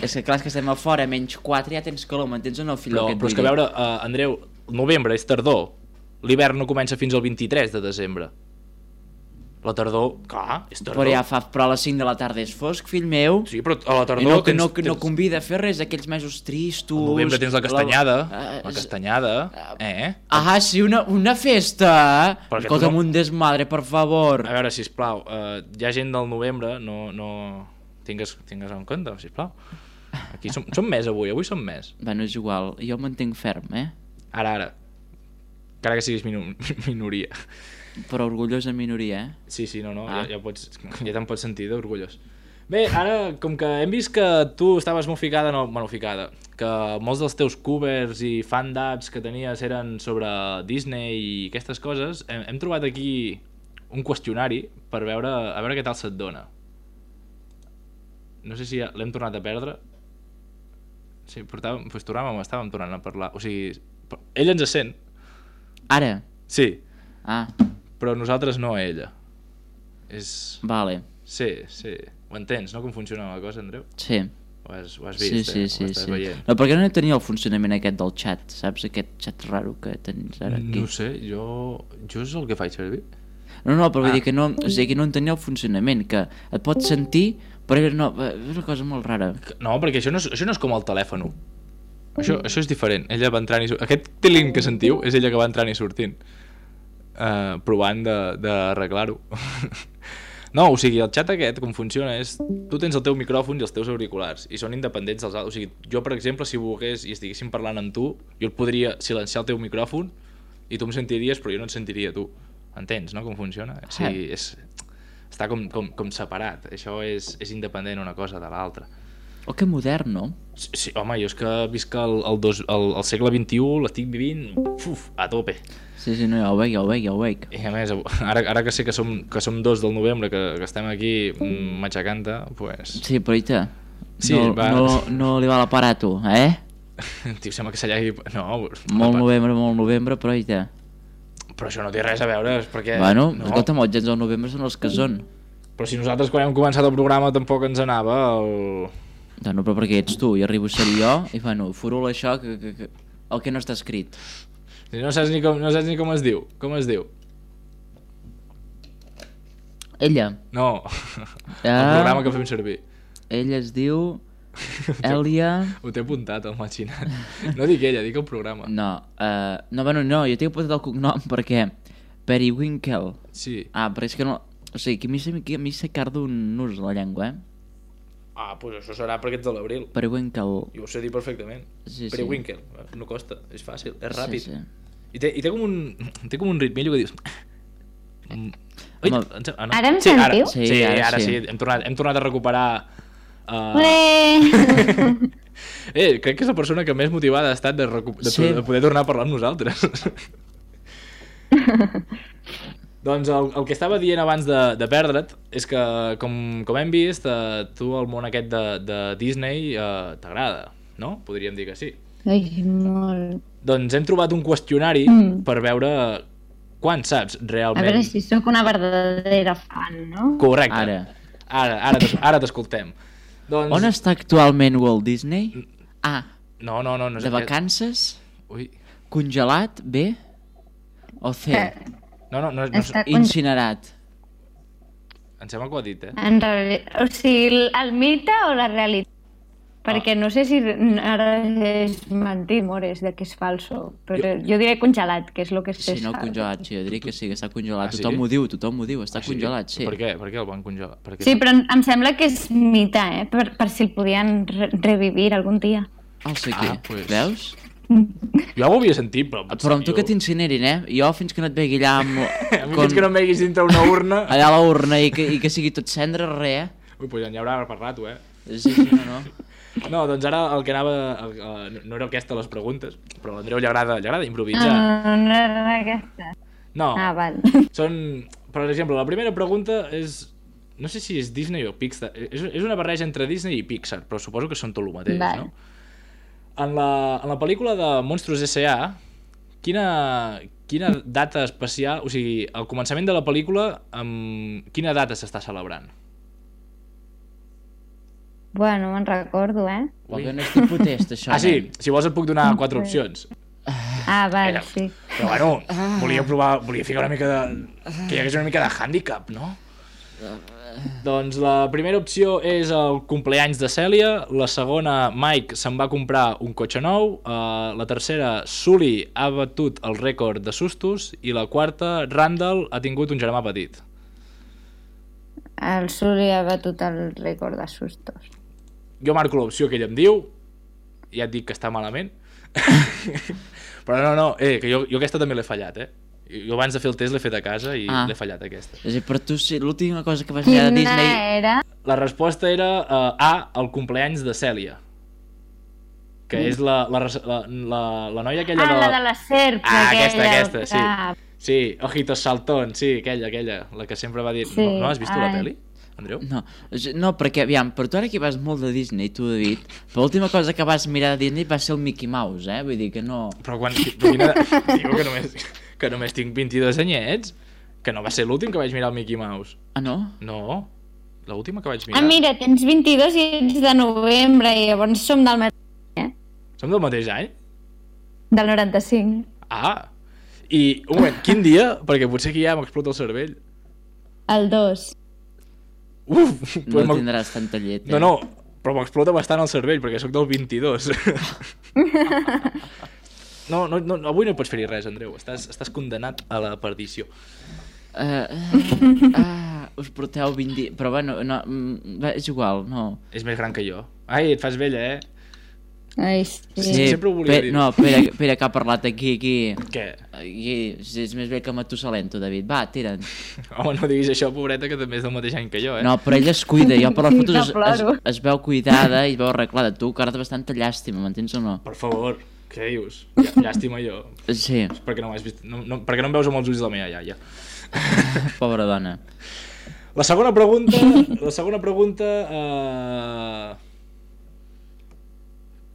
[SPEAKER 3] És que clar, és que estem a fora, menys quatre, ja tens calor, m'entens o no, fill?
[SPEAKER 2] Però, però és que a veure, uh, Andreu, el novembre és tardor, l'hivern no comença fins al vint-i-tres de desembre. La tardor, clar, és tardor.
[SPEAKER 3] Però ja fa, però a les cinc de la tarda és fosc, fill meu.
[SPEAKER 2] Sí, però a la
[SPEAKER 3] I
[SPEAKER 2] tardor
[SPEAKER 3] no, que
[SPEAKER 2] tens,
[SPEAKER 3] no, que no
[SPEAKER 2] tens...
[SPEAKER 3] convida a fer res, aquells mesos tristos...
[SPEAKER 2] Al novembre tens la castanyada, la,
[SPEAKER 3] La-
[SPEAKER 2] la castanyada, eh?
[SPEAKER 3] Ah, sí, una, una festa!
[SPEAKER 2] Perquè
[SPEAKER 3] Escolta'm,
[SPEAKER 2] tu no-
[SPEAKER 3] un desmadre, per favor.
[SPEAKER 2] A veure, sisplau, uh, hi ha gent del novembre, no, no... Tingues, tingues en compte, sisplau. Aquí som, som més avui, avui som més.
[SPEAKER 3] Bueno, és igual, jo em mantenc ferm, eh?
[SPEAKER 2] Ara, ara. Encara que siguis minu minoria.
[SPEAKER 3] Però orgullosa minoria, eh?
[SPEAKER 2] Sí, sí, no, no,
[SPEAKER 3] Ah.
[SPEAKER 2] ja, ja, pots, ja te'n pots sentir d'orgullós. Bé, ara, com que hem vist que tu estaves molt ficada, no, bueno, ficada, que molts dels teus covers i fan-dubs que tenies eren sobre Disney i aquestes coses, hem, hem trobat aquí un qüestionari per veure, a veure què tal se't dona. No sé si ja l'hem tornat a perdre. Sí, portàvem, pues, tornàvem, estàvem tornant a parlar. O sigui, ell ens sent,
[SPEAKER 3] Ara?
[SPEAKER 2] sí,
[SPEAKER 3] Ah,
[SPEAKER 2] però nosaltres no a ella. És...
[SPEAKER 3] vale.
[SPEAKER 2] Sí, sí. Ho entens, no? Com funciona la cosa, Andreu?
[SPEAKER 3] Sí.
[SPEAKER 2] Ho has, ho has
[SPEAKER 3] Sí,
[SPEAKER 2] vist,
[SPEAKER 3] sí,
[SPEAKER 2] eh?
[SPEAKER 3] sí,
[SPEAKER 2] Ho estàs
[SPEAKER 3] sí.
[SPEAKER 2] veient.
[SPEAKER 3] No, perquè no tenia el funcionament aquest del xat, saps? Aquest xat raro que tens ara aquí.
[SPEAKER 2] No ho sé, jo... Jo és el que faig servir.
[SPEAKER 3] No, no, però vull
[SPEAKER 2] Ah.
[SPEAKER 3] dir que no, o sigui, que no entenia el funcionament, que et pots sentir, però ella no, és una cosa molt rara.
[SPEAKER 2] No, perquè això no és, això no és com el telèfon. Això, això és diferent. Ella va entrant i sortint. Aquest tiling que sentiu és ella que va entrant i sortint. Uh, provant d'arreglar-ho. No, o sigui, el xat aquest, com funciona, és... Tu tens el teu micròfon i els teus auriculars, i són independents dels altres. O sigui, jo, per exemple, si volgués i estiguéssim parlant amb tu, jo et podria silenciar el teu micròfon i tu em sentiries, però jo no et sentiria tu. Entens, no, com funciona? O sigui, és... Està com, com, com separat. Això és, és independent una cosa de l'altra.
[SPEAKER 3] Oh, que modern, no?
[SPEAKER 2] Sí, sí, home, jo és que visc el, el, dos, el, el segle vint-i-u, l'estic vivint uf, a tope.
[SPEAKER 3] Sí, sí, no, ja ho veig, ja ho veig, ja ho veig.
[SPEAKER 2] I a més, ara, ara que sé que som, que som dos del novembre, que, que estem aquí mm, matxacant-te, pues...
[SPEAKER 3] Sí, però ita,
[SPEAKER 2] Sí,
[SPEAKER 3] no,
[SPEAKER 2] va.
[SPEAKER 3] no, no li va la parar a tu, eh?
[SPEAKER 2] Tio, sembla que s'allà... No,
[SPEAKER 3] Molt novembre, molt novembre, però ita.
[SPEAKER 2] però això no té res a veure, és perquè...
[SPEAKER 3] Bueno,
[SPEAKER 2] no.
[SPEAKER 3] escolta'm, els gens del novembre són els que són.
[SPEAKER 2] Però si nosaltres quan hem començat el programa tampoc ens anava el...
[SPEAKER 3] No, però perquè ets tu, i arribo a ser jo, i bueno, furula això, que, que, que, el que no està escrit.
[SPEAKER 2] Si no saps ni com, no saps ni com es diu. Com es diu?
[SPEAKER 3] Ella,
[SPEAKER 2] No, el
[SPEAKER 3] Ah.
[SPEAKER 2] programa que fem servir.
[SPEAKER 3] ella es diu Èlia...
[SPEAKER 2] Ho t'he apuntat al machinat. No dic ella, dic el programa.
[SPEAKER 3] No, uh, no, bueno, no, jo tinc apuntat el cognom perquè Periwinkle.
[SPEAKER 2] Sí.
[SPEAKER 3] Ah, però és que no... O sigui, que a mi, se- que a mi se carda un nus la llengua, eh?
[SPEAKER 2] Ah, doncs això serà perquè ets de l'abril.
[SPEAKER 3] Periwinkle.
[SPEAKER 2] Jo ho sé dir perfectament.
[SPEAKER 3] Sí, sí.
[SPEAKER 2] Periwinkle. No costa, és fàcil, és ràpid.
[SPEAKER 3] Sí, sí.
[SPEAKER 2] I, té, I té com un, té com un ritmillo que dius... Mm. Ui,
[SPEAKER 3] Home.
[SPEAKER 2] em sem- ah,
[SPEAKER 4] Ara em
[SPEAKER 2] sí,
[SPEAKER 4] sentiu?
[SPEAKER 2] Ara,
[SPEAKER 3] Sí,
[SPEAKER 2] sí,
[SPEAKER 3] ara
[SPEAKER 2] ara
[SPEAKER 3] sí.
[SPEAKER 2] sí. Hem tornat, hem tornat a recuperar... Uh...
[SPEAKER 4] Ué!
[SPEAKER 2] Eh, crec que és la persona que més motivada ha estat de, recu... de,
[SPEAKER 3] Sí.
[SPEAKER 2] de poder tornar a parlar amb nosaltres. Doncs el, el que estava dient abans de, de perdre't és que, com, com hem vist, eh, tu el món aquest de, de Disney eh, t'agrada, no? Podríem dir que sí.
[SPEAKER 4] Ai, molt...
[SPEAKER 2] Doncs hem trobat un qüestionari
[SPEAKER 4] Mm.
[SPEAKER 2] per veure quan saps
[SPEAKER 4] A
[SPEAKER 2] realment...
[SPEAKER 4] veure si sóc una verdadera fan, no?
[SPEAKER 2] Correcte.
[SPEAKER 3] Ara.
[SPEAKER 2] Ara, ara, t'es- ara t'escoltem. Doncs...
[SPEAKER 3] On està actualment Walt Disney? Ah,
[SPEAKER 2] No, no, no. no és
[SPEAKER 3] de
[SPEAKER 2] aquest.
[SPEAKER 3] vacances?
[SPEAKER 2] Ui.
[SPEAKER 3] Congelat? B? O C?
[SPEAKER 4] Eh,
[SPEAKER 2] No, no, no, no,
[SPEAKER 4] Està con-
[SPEAKER 3] Incinerat.
[SPEAKER 2] em sembla que ho ha dit, eh?
[SPEAKER 4] En reali... O sigui, el mite o la realitat? Perquè no sé si ara és mentir, mores, de que és falso. Però jo, jo diré congelat, que és el que
[SPEAKER 3] Sí,
[SPEAKER 4] se
[SPEAKER 3] no,
[SPEAKER 4] sap.
[SPEAKER 3] congelat, sí, jo diria que sí, que està congelat.
[SPEAKER 2] Ah, sí?
[SPEAKER 3] Tothom ho diu, tothom ho diu, està
[SPEAKER 2] Ah, sí?
[SPEAKER 3] congelat, sí.
[SPEAKER 2] Per què? Per què el van congelar? Per què?
[SPEAKER 4] Sí, però em sembla que és mite, eh? Per, per si el podien re revivir algun dia.
[SPEAKER 3] El sé qui,
[SPEAKER 2] Ah, pues-
[SPEAKER 3] veus?
[SPEAKER 2] Jo ho havia sentit, però...
[SPEAKER 3] Però amb tu que t'incinerin, eh? Jo fins que no et vegi allà amb...
[SPEAKER 2] A mi fins que no em veguis dintre una urna...
[SPEAKER 3] allà a la urna i que, i que sigui tot cendre, res, eh?
[SPEAKER 2] Ui, doncs ja n'hi haurà per rato, eh?
[SPEAKER 3] Sí, sí, no, no.
[SPEAKER 2] No, doncs ara el que anava... El, el, no era aquesta les preguntes, però a l'Andreu li agrada, li agrada improvisar.
[SPEAKER 4] Ah, no era aquesta.
[SPEAKER 2] No,
[SPEAKER 4] Ah, val.
[SPEAKER 2] són... Per exemple, la primera pregunta és... No sé si és Disney o Pixar. És, és una barreja entre Disney i Pixar, però suposo que són tot el mateix,
[SPEAKER 4] Vale.
[SPEAKER 2] no? En la, en la pel·lícula de Monstros S A, quina, quina data especial... O sigui, al començament de la pel·lícula, amb quina data s'està celebrant?
[SPEAKER 4] Bueno, me'n recordo, eh?
[SPEAKER 3] Vol que no és tipus test, això.
[SPEAKER 2] Ah, sí,
[SPEAKER 3] nen?
[SPEAKER 2] si vols et puc donar quatre opcions.
[SPEAKER 4] Ah, val,
[SPEAKER 2] Era-
[SPEAKER 4] sí.
[SPEAKER 2] Però bueno, volia provar, volia ficar una mica de... Que hi hagués una mica de handicap, no? Doncs la primera opció és el compleanys de Cèlia, la segona, Mike se'n va comprar un cotxe nou, uh, la tercera, Sully ha batut el rècord de sustos i la quarta, Randall ha tingut un germà petit.
[SPEAKER 4] El Suri ha batut el rècord de sustos.
[SPEAKER 2] Jo marco l'opció que ell em diu, ja et dic que està malament, però no, no, eh, que jo, jo aquesta també l'he fallat, eh? Jo abans de fer el test l'he fet a casa i
[SPEAKER 3] Ah.
[SPEAKER 2] l'he fallat aquesta.
[SPEAKER 3] És a dir, per tu, sí, l'última cosa que vas mirar de
[SPEAKER 4] Quina
[SPEAKER 3] Disney...
[SPEAKER 4] era?
[SPEAKER 2] La resposta era uh, A, el compleanys de Cèlia, que és la, la, res- la, la, la noia aquella
[SPEAKER 4] Ah,
[SPEAKER 2] de...
[SPEAKER 4] la de les serps,
[SPEAKER 2] Ah,
[SPEAKER 4] aquella.
[SPEAKER 2] aquesta, aquesta, sí.
[SPEAKER 4] Ah,
[SPEAKER 2] Sí, Ojitos Saltón, sí, aquella, aquella, la que sempre va dir...
[SPEAKER 4] Sí,
[SPEAKER 2] No, no has vist tu la
[SPEAKER 4] ai.
[SPEAKER 2] pel·li, Andreu?
[SPEAKER 3] No, és- no, perquè, aviam, per tu ara que vas molt de Disney, tu, David, però l'última cosa que vas mirar de Disney va ser el Mickey Mouse, eh? Vull dir que no...
[SPEAKER 2] Però quan... Però quina... Diu que només, que només tinc vint-i-dos anyets, que no va ser l'últim que vaig mirar el Mickey Mouse.
[SPEAKER 3] Ah, no?
[SPEAKER 2] No, l'última que vaig mirar...
[SPEAKER 4] ah, mira, tens vint-i-dos i ets de novembre i llavors som del mateix, eh?
[SPEAKER 2] Som del mateix any?
[SPEAKER 4] Del noranta-cinc.
[SPEAKER 2] Ah, i un moment, quin dia? Perquè potser aquí ja m'explota el cervell.
[SPEAKER 4] El dos.
[SPEAKER 2] Uf,
[SPEAKER 3] No
[SPEAKER 2] pues m'ha-
[SPEAKER 3] tindràs tanta llet, eh?
[SPEAKER 2] no, no, però m'explota bastant el cervell perquè sóc del vint-i-dos. No, no, no, avui no pots fer-hi res, Andreu. Estàs, estàs condenat a la perdició.
[SPEAKER 3] Uh, uh, ah, us porteu vint... di- Però bueno, no, mm, va, és igual, no.
[SPEAKER 2] És més gran que jo. Ai, et fas vella, eh?
[SPEAKER 4] Ai, sí.
[SPEAKER 2] Sí, sempre ho volia
[SPEAKER 3] pe-
[SPEAKER 2] dir.
[SPEAKER 3] No, espera, espera que ha parlat aquí, aquí.
[SPEAKER 2] Què?
[SPEAKER 3] Aquí, és més bé que Matusalem, tu, David. Va, tira'n.
[SPEAKER 2] Home, no diguis això, pobreta, que també és del mateix any que jo, eh?
[SPEAKER 3] No, però ella es cuida. Jo per les
[SPEAKER 4] Sí,
[SPEAKER 3] fotos es,
[SPEAKER 4] que ploro.
[SPEAKER 3] es, es veu cuidada i es veu arreglada. Tu, que ara té bastanta llàstima, m'entens o no?
[SPEAKER 2] Per favor, què dius? Llà- Llàstima jo.
[SPEAKER 3] Sí,
[SPEAKER 2] Perquè no m'has vist... No, no, perquè no em veus amb els ulls de la meva iaia.
[SPEAKER 3] pobra dona.
[SPEAKER 2] La segona pregunta... La segona pregunta... Uh...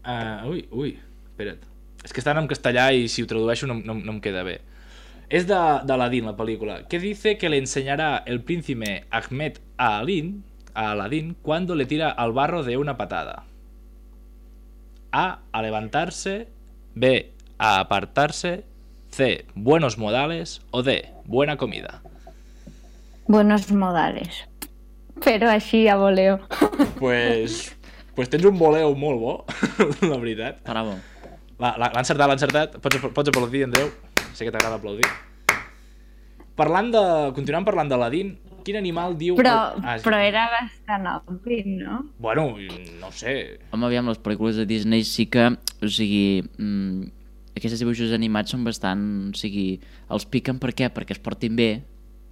[SPEAKER 2] Uh, ui, ui, espera't. És que estan en castellà i si ho tradueixo no, no, no em queda bé. És de, de Aladdin, la pel·lícula. ¿Qué dice que le enseñará el príncipe Ahmed a Aladdin, a Aladdin cuando le tira al barro de una patada? A. A levantarse. B. A apartarse. C. Buenos modales. O D. Buena comida.
[SPEAKER 4] Buenos modales. Però així a voleo.
[SPEAKER 2] Pues, pues tens un voleu molt bo, la veritat.
[SPEAKER 3] Bravo.
[SPEAKER 2] L'ha l'ha encertat, l'ha encertat. Pots, pots aplaudir, Andreu. Sé que t'agrada aplaudir. Parlant de... Continuant parlant d'Aladín, quin animal diu...
[SPEAKER 4] Però,
[SPEAKER 2] Ah, sí.
[SPEAKER 4] però era bastant obvi, no?
[SPEAKER 2] Bueno, no ho sé.
[SPEAKER 3] Home, aviam, les pel·lícules de Disney sí que, o sigui, mm, aquests dibuixos animats són bastant, o sigui, els piquen per què? Perquè es portin bé,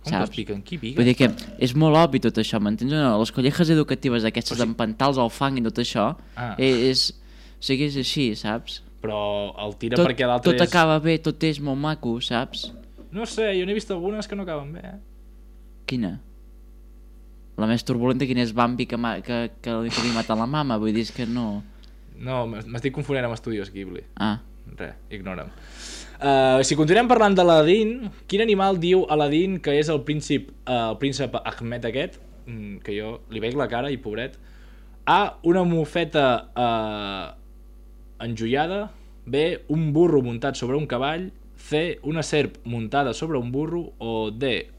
[SPEAKER 2] Com que
[SPEAKER 3] saps?
[SPEAKER 2] es piquen? Qui pica?
[SPEAKER 3] Vull dir que és molt obvi tot això, m'entens o no? Les colleges educatives aquestes
[SPEAKER 2] Però sí.
[SPEAKER 3] d'empantals al fang i tot això,
[SPEAKER 2] Ah.
[SPEAKER 3] és, o sigui, és així, saps?
[SPEAKER 2] Però el tira
[SPEAKER 3] Tot,
[SPEAKER 2] perquè l'altre
[SPEAKER 3] tot
[SPEAKER 2] és...
[SPEAKER 3] acaba bé, tot és molt maco, saps?
[SPEAKER 2] No sé, jo n'he vist algunes que no acaben bé, eh?
[SPEAKER 3] Quina? La més turbulenta, quina és Bambi que, ma que, que, li- que li mata la mama? Vull dir, és que no...
[SPEAKER 2] No, m'estic confonent amb Estudios Ghibli.
[SPEAKER 3] Ah,
[SPEAKER 2] Res, ignora'm. Uh, si continuem parlant d'Aladín, quin animal diu Aladín que és el príncip, uh, el príncep Ahmed aquest, mm, que jo li veig la cara i pobret? A, una mofeta uh, enjoiada. B, un burro muntat sobre un cavall. C, una serp muntada sobre un burro. O D,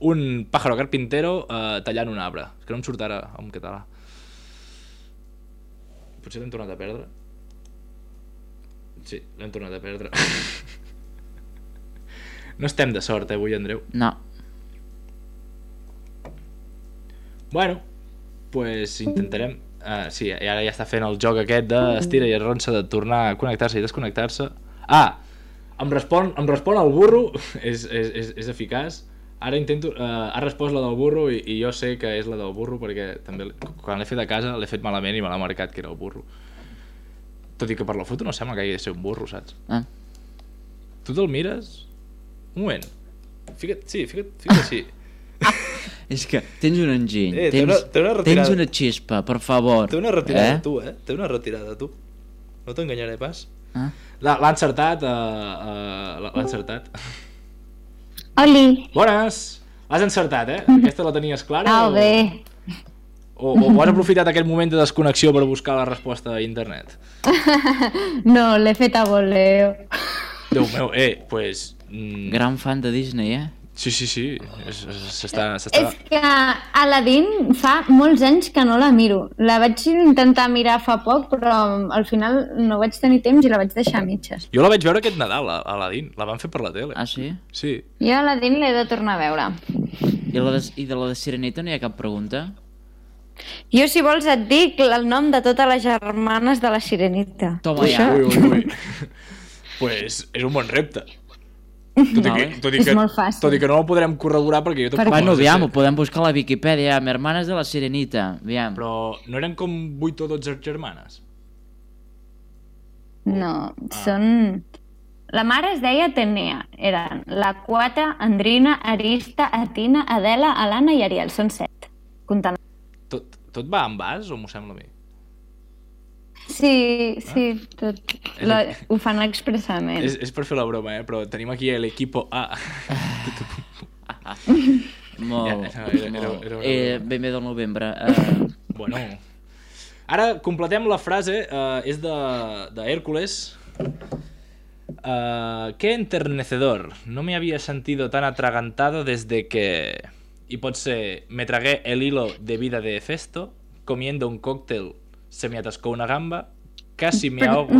[SPEAKER 2] un pájaro carpintero uh, tallant un arbre. És que no em surt ara en català. Potser l'hem tornat a perdre. Sí, l'hem tornat a perdre. No estem de sort, eh, avui, Andreu.
[SPEAKER 3] no.
[SPEAKER 2] Bueno, pues intentarem... Uh, sí, i ara ja està fent el joc aquest d'estira i arronsa de tornar a connectar-se i desconnectar-se. Ah, em respon, em respon el burro, és, és, és, és eficaç. Ara intento... Uh, ha respost la del burro i, i jo sé que és la del burro perquè també quan l'he fet a casa l'he fet malament i me l'ha marcat que era el burro. Tot i que per la foto no sembla que hagi de ser un burro, saps?
[SPEAKER 3] Ah.
[SPEAKER 2] Tu te'l mires? Un moment. Fica't, sí, fica't, fica't així.
[SPEAKER 3] És que tens un enginy,
[SPEAKER 2] Eh, té
[SPEAKER 3] tens,
[SPEAKER 2] una- té una retirada.
[SPEAKER 3] tens una xispa, per favor.
[SPEAKER 2] Té una retirada,
[SPEAKER 3] eh?
[SPEAKER 2] tu, eh? Té una retirada, tu. No t'enganyaré pas.
[SPEAKER 3] Ah.
[SPEAKER 2] L'ha l'ha encertat, uh, uh, l'ha encertat.
[SPEAKER 4] Oli!
[SPEAKER 2] Bones! L'has encertat, eh? Aquesta la tenies clara?
[SPEAKER 4] Ah,
[SPEAKER 2] o...
[SPEAKER 4] bé.
[SPEAKER 2] O, o, o has aprofitat aquest moment de desconnexió per buscar la resposta a internet?
[SPEAKER 4] No, l'he fet a voleo.
[SPEAKER 2] Déu meu, eh, pues... Mm,
[SPEAKER 3] Gran fan de Disney, eh?
[SPEAKER 2] sí, sí, sí. és- és- S'està... s'està-
[SPEAKER 4] És que Aladdin fa molts anys que no la miro. La vaig intentar mirar fa poc, però al final no vaig tenir temps i la vaig deixar a mitges.
[SPEAKER 2] Jo la vaig veure aquest Nadal, a Aladdin. La van fer per la tele.
[SPEAKER 3] Ah, sí?
[SPEAKER 2] Sí.
[SPEAKER 4] Jo Aladdin l'he de tornar a veure.
[SPEAKER 3] I, la de, I de la de Sirenita no hi ha cap pregunta?
[SPEAKER 4] Jo, si vols, et dic el nom de totes les germanes de la Sirenita.
[SPEAKER 3] Toma ja.
[SPEAKER 2] Ui, ui, ui. Pues és un bon repte. Tot i, que,
[SPEAKER 3] Vale.
[SPEAKER 2] tot, i
[SPEAKER 4] És
[SPEAKER 2] que,
[SPEAKER 4] molt fàcil.
[SPEAKER 2] tot i que no el podrem corroborar perquè jo tampoc
[SPEAKER 3] Bueno,
[SPEAKER 2] no sé
[SPEAKER 3] aviam, ho
[SPEAKER 2] ser.
[SPEAKER 3] podem buscar a la Viquipèdia, amb hermanes de la Sirenita, aviam.
[SPEAKER 2] Però no eren com vuit o dotze germanes?
[SPEAKER 4] No,
[SPEAKER 2] Ah.
[SPEAKER 4] són... La mare es deia Atenea. Eren la Quata, Andrina, Arista, Atina, Adela, Alana i Ariel. Són set. Comptant.
[SPEAKER 2] Tot, tot va en vas o m'ho sembla a mi?
[SPEAKER 4] Sí, sí, tot. La, ho fan expressament.
[SPEAKER 2] És, és per fer la broma, eh? Però tenim aquí l'equipo A.
[SPEAKER 3] Molt,
[SPEAKER 2] Ja, no, era- era-
[SPEAKER 3] molt.
[SPEAKER 2] era una
[SPEAKER 3] Eh,
[SPEAKER 2] broma.
[SPEAKER 3] ben bé del novembre. Eh,
[SPEAKER 2] Bueno. Ara completem la frase, uh, és de, de Hércules. Uh, qué enternecedor. No me había sentido tan atragantado desde que... Y pot ser, me tragué el hilo de vida de Hefesto, comiendo un cóctel se me atascó una gamba, casi me ahogo...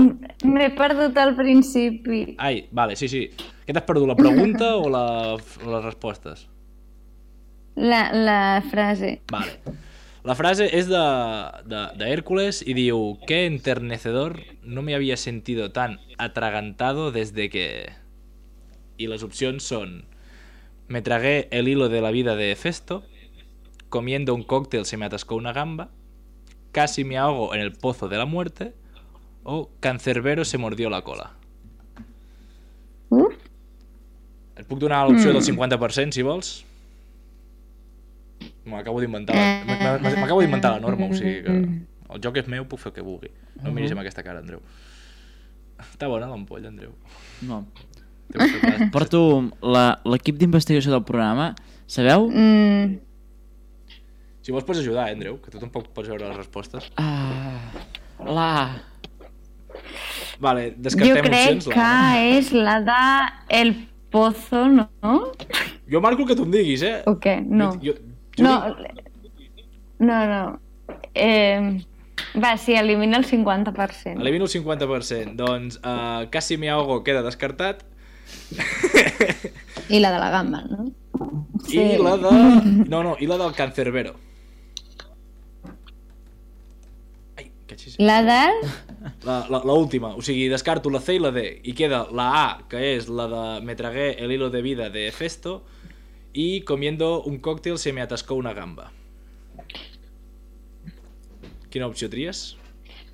[SPEAKER 4] M'he perdut al principi.
[SPEAKER 2] Ai, vale, sí, sí. Què t'has perdut, la pregunta o, la, o les respostes?
[SPEAKER 4] La, la frase.
[SPEAKER 2] Vale. La frase és de, de, de Hércules i diu: qué enternecedor, no me había sentido tan atragantado desde que... I les opcions són: me tragué el hilo de la vida de Hefesto, comiendo un cóctel se me atascó una gamba, casi me ahogo en el pozo de la muerte, o Cancerbero se mordió la cola.
[SPEAKER 4] Uf.
[SPEAKER 2] Et puc donar l'opció del cinquanta per cent, si vols? M'acabo d'inventar la... m- m- m'acabo d'inventar la norma, o sigui que el joc és meu, puc fer el que vulgui. No em miris amb aquesta cara, Andreu. Està bona l'ampolla, Andreu.
[SPEAKER 3] no.
[SPEAKER 2] Té un xocolata.
[SPEAKER 3] Porto la- l'equip d'investigació del programa. Sabeu?
[SPEAKER 4] Mm,
[SPEAKER 2] Si vols pots ajudar, eh, Andreu, que tu tampoc pots veure les respostes.
[SPEAKER 3] Ah, la...
[SPEAKER 2] Vale,
[SPEAKER 4] jo
[SPEAKER 2] descartem
[SPEAKER 4] crec
[SPEAKER 2] opcions.
[SPEAKER 4] que
[SPEAKER 2] La...
[SPEAKER 4] és la de El Pozo, no?
[SPEAKER 2] Jo marco el que tu em diguis, eh?
[SPEAKER 4] O què? No.
[SPEAKER 2] Jo, jo, jo
[SPEAKER 4] No,
[SPEAKER 2] dic-
[SPEAKER 4] no, no. Eh, va, sí, elimina el cinquanta per cent.
[SPEAKER 2] Elimino el cinquanta per cent. Doncs uh, Casi me ahogo queda descartat.
[SPEAKER 4] I la de la gamba, no?
[SPEAKER 2] I la de... No, no, i la del Cancerbero. Ai, que xis.
[SPEAKER 4] La del...
[SPEAKER 2] La, la, la última, o sigui, descarto la C i la D i queda la A, que és la de me tragué el hilo de vida de Hefesto y comiendo un cóctel se me atascó una gamba. Quina opció tries?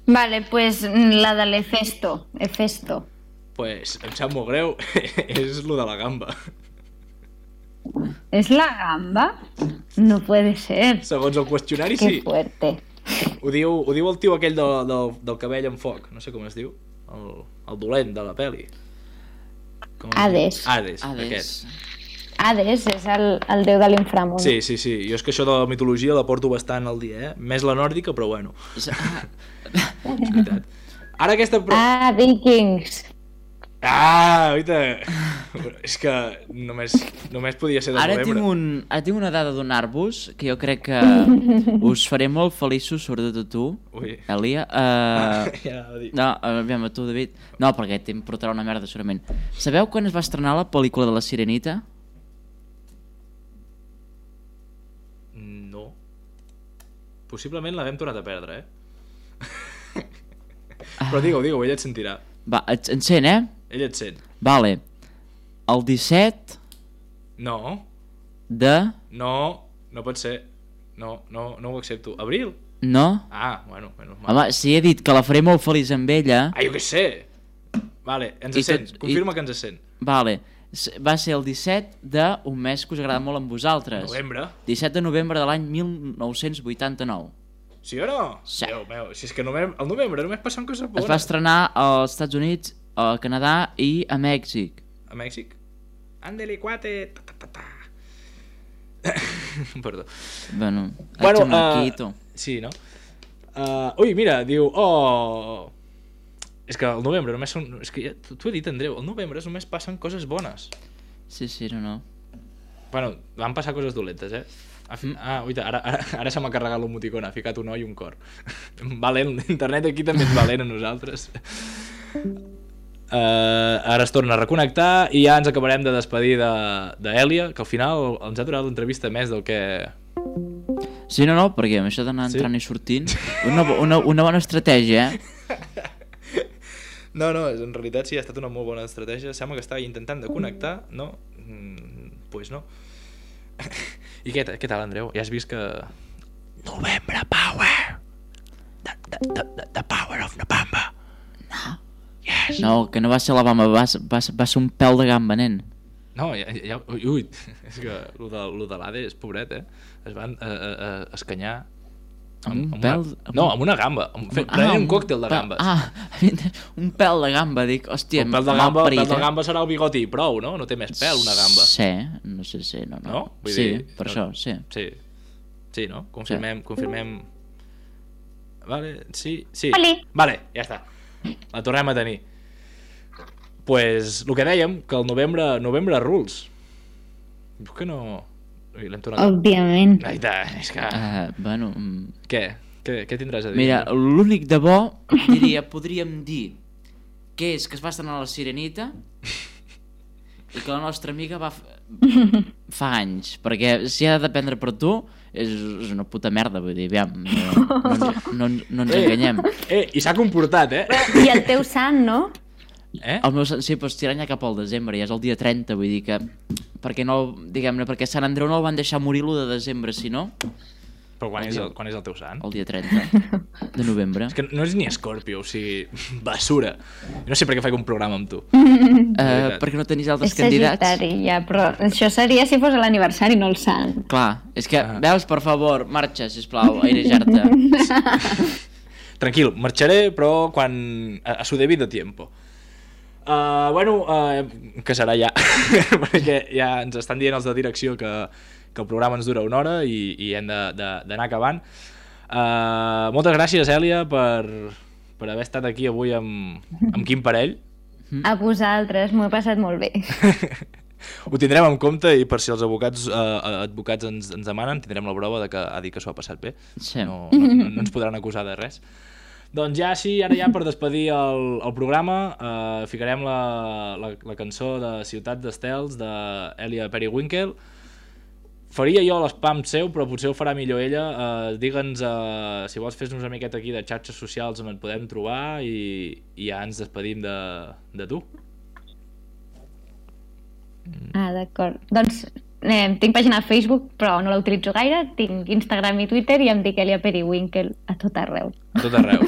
[SPEAKER 4] Vale, pues mm, la de l'Efesto. Efesto.
[SPEAKER 2] Pues em sap molt greu, és lo de la gamba.
[SPEAKER 4] ¿Es la gamba? No puede ser.
[SPEAKER 2] Segons el qüestionari,
[SPEAKER 4] Qué
[SPEAKER 2] sí.
[SPEAKER 4] fuerte.
[SPEAKER 2] Ho diu, ho diu el tio aquell del, del, del cabell en foc, no sé com es diu, el, el dolent de la peli. Com es diu?
[SPEAKER 4] Hades.
[SPEAKER 2] Hades,
[SPEAKER 3] Hades.
[SPEAKER 2] aquest.
[SPEAKER 4] Hades és el, el déu de l'inframón.
[SPEAKER 2] Sí, sí, sí. Jo és que això de la mitologia la porto bastant al dia, eh? Més la nòrdica, però bueno,
[SPEAKER 3] És- ah,
[SPEAKER 2] és veritat. Ara aquesta... Pro...
[SPEAKER 4] Ah, Vikings.
[SPEAKER 2] Ah, oita! És que només, només podia ser de
[SPEAKER 3] Ara
[SPEAKER 2] novembre.
[SPEAKER 3] tinc, un, ara tinc una dada a donar-vos que jo crec que us faré molt feliços, sobretot a tu,
[SPEAKER 2] Ui.
[SPEAKER 3] Elia. Uh,
[SPEAKER 2] Ja anava a dir.
[SPEAKER 3] no, aviam, a tu, David. No, perquè te'n portarà una merda, segurament. Sabeu quan es va estrenar la pel·lícula de la Sirenita?
[SPEAKER 2] No. Possiblement l'havem tornat a perdre, eh? Però digue-ho, digue-ho, ell et sentirà.
[SPEAKER 3] Va, et, en sent, eh?
[SPEAKER 2] Ell et sent.
[SPEAKER 3] Vale. El disset...
[SPEAKER 2] No.
[SPEAKER 3] de...
[SPEAKER 2] No, no pot ser. No, no, no ho accepto. Abril?
[SPEAKER 3] No?
[SPEAKER 2] Ah, bueno, bueno.
[SPEAKER 3] Home, si he dit que la faré molt feliç amb ella...
[SPEAKER 2] Ah, jo què sé! Vale, ens
[SPEAKER 3] I
[SPEAKER 2] sent.
[SPEAKER 3] tot-
[SPEAKER 2] Confirma
[SPEAKER 3] i-
[SPEAKER 2] que ens sent.
[SPEAKER 3] Vale, S- va ser el disset d'un mes que us agrada molt amb vosaltres.
[SPEAKER 2] Novembre.
[SPEAKER 3] disset de novembre de l'any mil nou-cents vuitanta-nou.
[SPEAKER 2] Sí o no?
[SPEAKER 3] Sí.
[SPEAKER 2] Déu meu, si és que novembre, el novembre només passen coses bones.
[SPEAKER 3] Es va estrenar als Estats Units, a Canadà i a Mèxic.
[SPEAKER 2] A Mèxic? Ándele, cuate. Ta, ta, ta, ta. Perdó.
[SPEAKER 3] Bueno,
[SPEAKER 2] Bueno,
[SPEAKER 3] bueno aquí,
[SPEAKER 2] uh,
[SPEAKER 3] tu.
[SPEAKER 2] sí, no? Uh, ui, mira, diu... Oh... És que el novembre només són... És que ja t'ho he dit, Andreu, el novembre només passen coses bones.
[SPEAKER 3] Sí, sí, no, no.
[SPEAKER 2] Bueno, van passar coses dolentes, eh? Ha fi... Ah, uita, ara, ara, ara se m'ha carregat l'emoticona, ha ficat un o i un cor. Valent, l'internet aquí també és valent a nosaltres. Uh, ara es torna a reconnectar i ja ens acabarem de despedir d'Èlia, de, que al final ens ha durat l'entrevista més del que...
[SPEAKER 3] Sí, no, no, perquè amb això d'anar
[SPEAKER 2] Sí?
[SPEAKER 3] entrant i sortint... Una, bo- una, una bona estratègia, eh?
[SPEAKER 2] No, no, en realitat sí, ha estat una molt bona estratègia. Sembla que estava intentant de connectar, no? Mm, pues no. I què, què tal, Andreu? Ja has vist que... Novembre Power! The, the, the, the, the power of November!
[SPEAKER 3] No.
[SPEAKER 2] Yes!
[SPEAKER 3] No, que no va ser la bamba, va, va, va ser un pèl de gamba, nen.
[SPEAKER 2] No, ja, ja, ui, ui, és que lo de, lo de l'A D és pobret, eh? Es van eh, eh, eh, escanyar
[SPEAKER 3] Amb un
[SPEAKER 2] una,
[SPEAKER 3] pèl... amb
[SPEAKER 2] no,
[SPEAKER 3] un-
[SPEAKER 2] amb una gamba, amb, fe,
[SPEAKER 3] Ah,
[SPEAKER 2] prenent un
[SPEAKER 3] un
[SPEAKER 2] còctel de
[SPEAKER 3] pèl-
[SPEAKER 2] gambes.
[SPEAKER 3] Ah, un pèl de gamba, dic, hòstia,
[SPEAKER 2] un pèl de
[SPEAKER 3] mal
[SPEAKER 2] gamba,
[SPEAKER 3] parit,
[SPEAKER 2] pèl de
[SPEAKER 3] eh?
[SPEAKER 2] gamba serà el bigoti i prou, no? No té més pèl una gamba.
[SPEAKER 3] Sí, no sé, sí, no, no.
[SPEAKER 2] No? Vull
[SPEAKER 3] sí,
[SPEAKER 2] dir,
[SPEAKER 3] per
[SPEAKER 2] no.
[SPEAKER 3] això, sí.
[SPEAKER 2] Sí, sí, no? Confirmem, sí. confirmem... Vale, sí, sí.
[SPEAKER 4] Oli.
[SPEAKER 2] Vale, ja està. La tornem a tenir. Pues, el que dèiem, que el novembre, novembre rules. Dius que no... Ui, l'hem tornat...
[SPEAKER 4] Òbviament.
[SPEAKER 2] Aita, és que...
[SPEAKER 3] Uh, bueno, mm,
[SPEAKER 2] Què? Què? Què tindràs a dir?
[SPEAKER 3] mira, l'únic de bo, diria, podríem dir que és que es va estrenar la Sirenita i que la nostra amiga va... f- fa anys, perquè si ha de dependre per tu és, és una puta merda, vull dir, aviam, no, no, ens- no, ens- no ens enganyem.
[SPEAKER 2] Eh, i s'ha comportat, eh?
[SPEAKER 4] I el teu sant, no?
[SPEAKER 2] Eh?
[SPEAKER 3] El meu, sí, però estirant ja cap al desembre, ja és el dia trenta, vull dir que... Perquè no, diguem-ne, perquè Sant Andreu no el van deixar morir l'u de desembre, si no,
[SPEAKER 2] Però quan és, el, quan és el teu sant?
[SPEAKER 3] el dia trenta de novembre.
[SPEAKER 2] És que no és ni Escorpio, o sigui, basura. Jo no sé per què faig un programa amb tu.
[SPEAKER 3] Uh, perquè no tenis altres
[SPEAKER 4] És
[SPEAKER 3] candidats.
[SPEAKER 4] sagitari, ja, però això seria si fos l'aniversari, no el sant.
[SPEAKER 3] Clar, és que,
[SPEAKER 2] Ah.
[SPEAKER 3] veus, per favor, marxa, sisplau, airejar-te.
[SPEAKER 2] Tranquil, marxaré, però quan... a, a su debido tiempo. Uh, bueno, uh, que serà ja, perquè ja ens estan dient els de direcció que, que el programa ens dura una hora i, i hem d'anar acabant. Uh, moltes gràcies, Èlia, per, per haver estat aquí avui amb, amb Quim Parell.
[SPEAKER 4] A vosaltres, m'ho he passat molt bé.
[SPEAKER 2] Ho tindrem en compte i per si els advocats, uh, advocats ens, ens demanen, tindrem la prova de que ha dit que s'ho ha passat bé.
[SPEAKER 3] Sí.
[SPEAKER 2] No, no, no, no ens podran acusar de res. Doncs ja sí, ara ja per despedir el, el programa eh, ficarem la, la, la cançó de Ciutat d'Estels d'Èlia Periwinkle. Faria jo l'espam seu, però potser ho farà millor ella. Eh, Digue'ns, eh, si vols fes-nos una miqueta aquí de xarxes socials on et podem trobar i, i ja ens despedim de, de tu.
[SPEAKER 4] Ah, d'acord. Doncs eh, tinc pàgina a Facebook, però no la utilitzo gaire. Tinc Instagram i Twitter i em dic Èlia Periwinkle a tot arreu.
[SPEAKER 2] A tot arreu.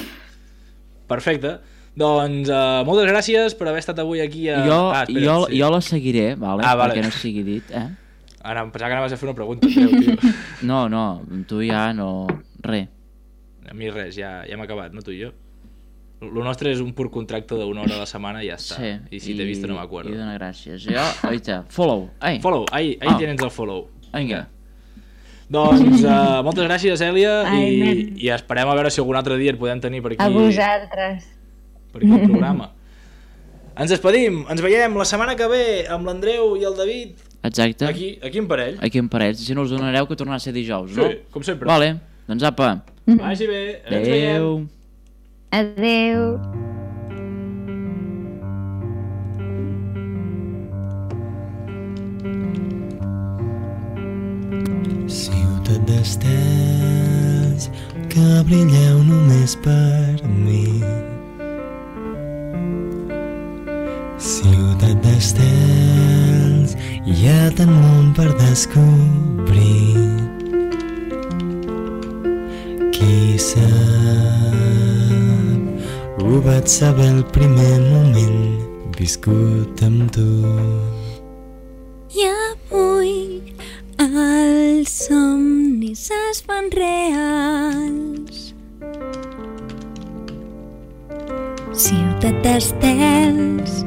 [SPEAKER 2] Perfecte. Doncs uh, moltes gràcies per haver estat avui aquí a...
[SPEAKER 3] Jo,
[SPEAKER 2] ah, espera,
[SPEAKER 3] jo,
[SPEAKER 2] sí.
[SPEAKER 3] jo la seguiré, vale?
[SPEAKER 2] Ah, vale.
[SPEAKER 3] Perquè no sigui dit, eh?
[SPEAKER 2] Ara em pensava que anaves a fer una pregunta, Andreu, tio.
[SPEAKER 3] No, no, amb tu ja no... Re.
[SPEAKER 2] A mi res, ja, ja hem acabat, no tu i jo. Lo nostre és un pur contracte d'una hora a la setmana i ja està.
[SPEAKER 3] Sí.
[SPEAKER 2] I si t'he vist no m'acuerdo.
[SPEAKER 3] I dona gràcies. Jo, oita, follow. Ai.
[SPEAKER 2] Follow, ahí, ahí
[SPEAKER 3] Ah.
[SPEAKER 2] tienes el follow.
[SPEAKER 3] Vinga.
[SPEAKER 2] Doncs uh, moltes gràcies, Èlia,
[SPEAKER 4] Ai,
[SPEAKER 2] i,
[SPEAKER 4] nen.
[SPEAKER 2] i esperem a veure si algun altre dia et podem tenir per aquí,
[SPEAKER 4] A vosaltres.
[SPEAKER 2] per aquí al programa. Ens despedim, ens veiem la setmana que ve amb l'Andreu i el David
[SPEAKER 3] Exacte.
[SPEAKER 2] aquí, aquí en parell.
[SPEAKER 3] Aquí en parells. Si no us donareu que tornarà a ser dijous, no?
[SPEAKER 2] Sí, com sempre.
[SPEAKER 3] Vale, doncs apa.
[SPEAKER 2] Vagi bé, ens veiem.
[SPEAKER 3] Adéu.
[SPEAKER 4] Adéu.
[SPEAKER 5] Ciutat d'estels que brilleu només per mi. Ciutat d'estels hi ha tant món per descobrir. Qui sap, ho vaig saber el primer moment viscut amb tu.
[SPEAKER 1] I avui els somnis es fan reals. Ciutat d'estels,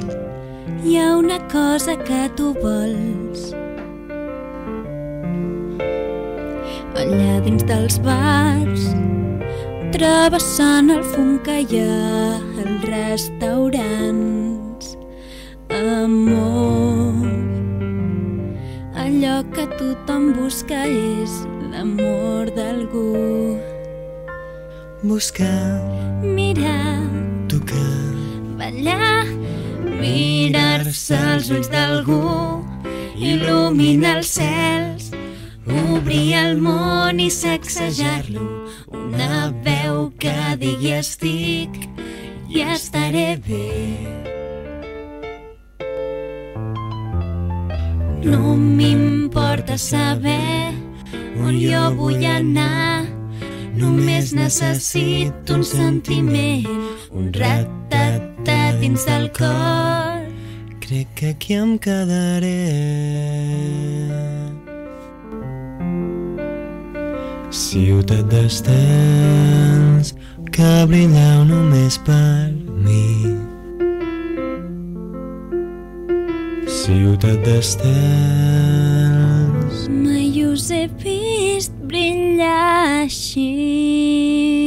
[SPEAKER 1] hi ha una cosa que tu vols. Allà dins dels bars travessant el fum que hi ha als restaurants. Amor, allò que tothom busca és l'amor d'algú.
[SPEAKER 5] Buscar,
[SPEAKER 1] Mirar,
[SPEAKER 5] tocar,
[SPEAKER 1] ballar, mirar-se als ulls d'algú, il·luminar els cels, obrir el món i sacsejar-lo. Una veu que digui estic i estaré bé. No m'importa saber on jo vull anar, només necessito un sentiment, un rat-tat-tat dins del cor.
[SPEAKER 5] crec que aquí em quedaré. Ciutat d'estels que brillau només per mi. Ciutat d'estels.
[SPEAKER 1] Mai us he vist brillar així.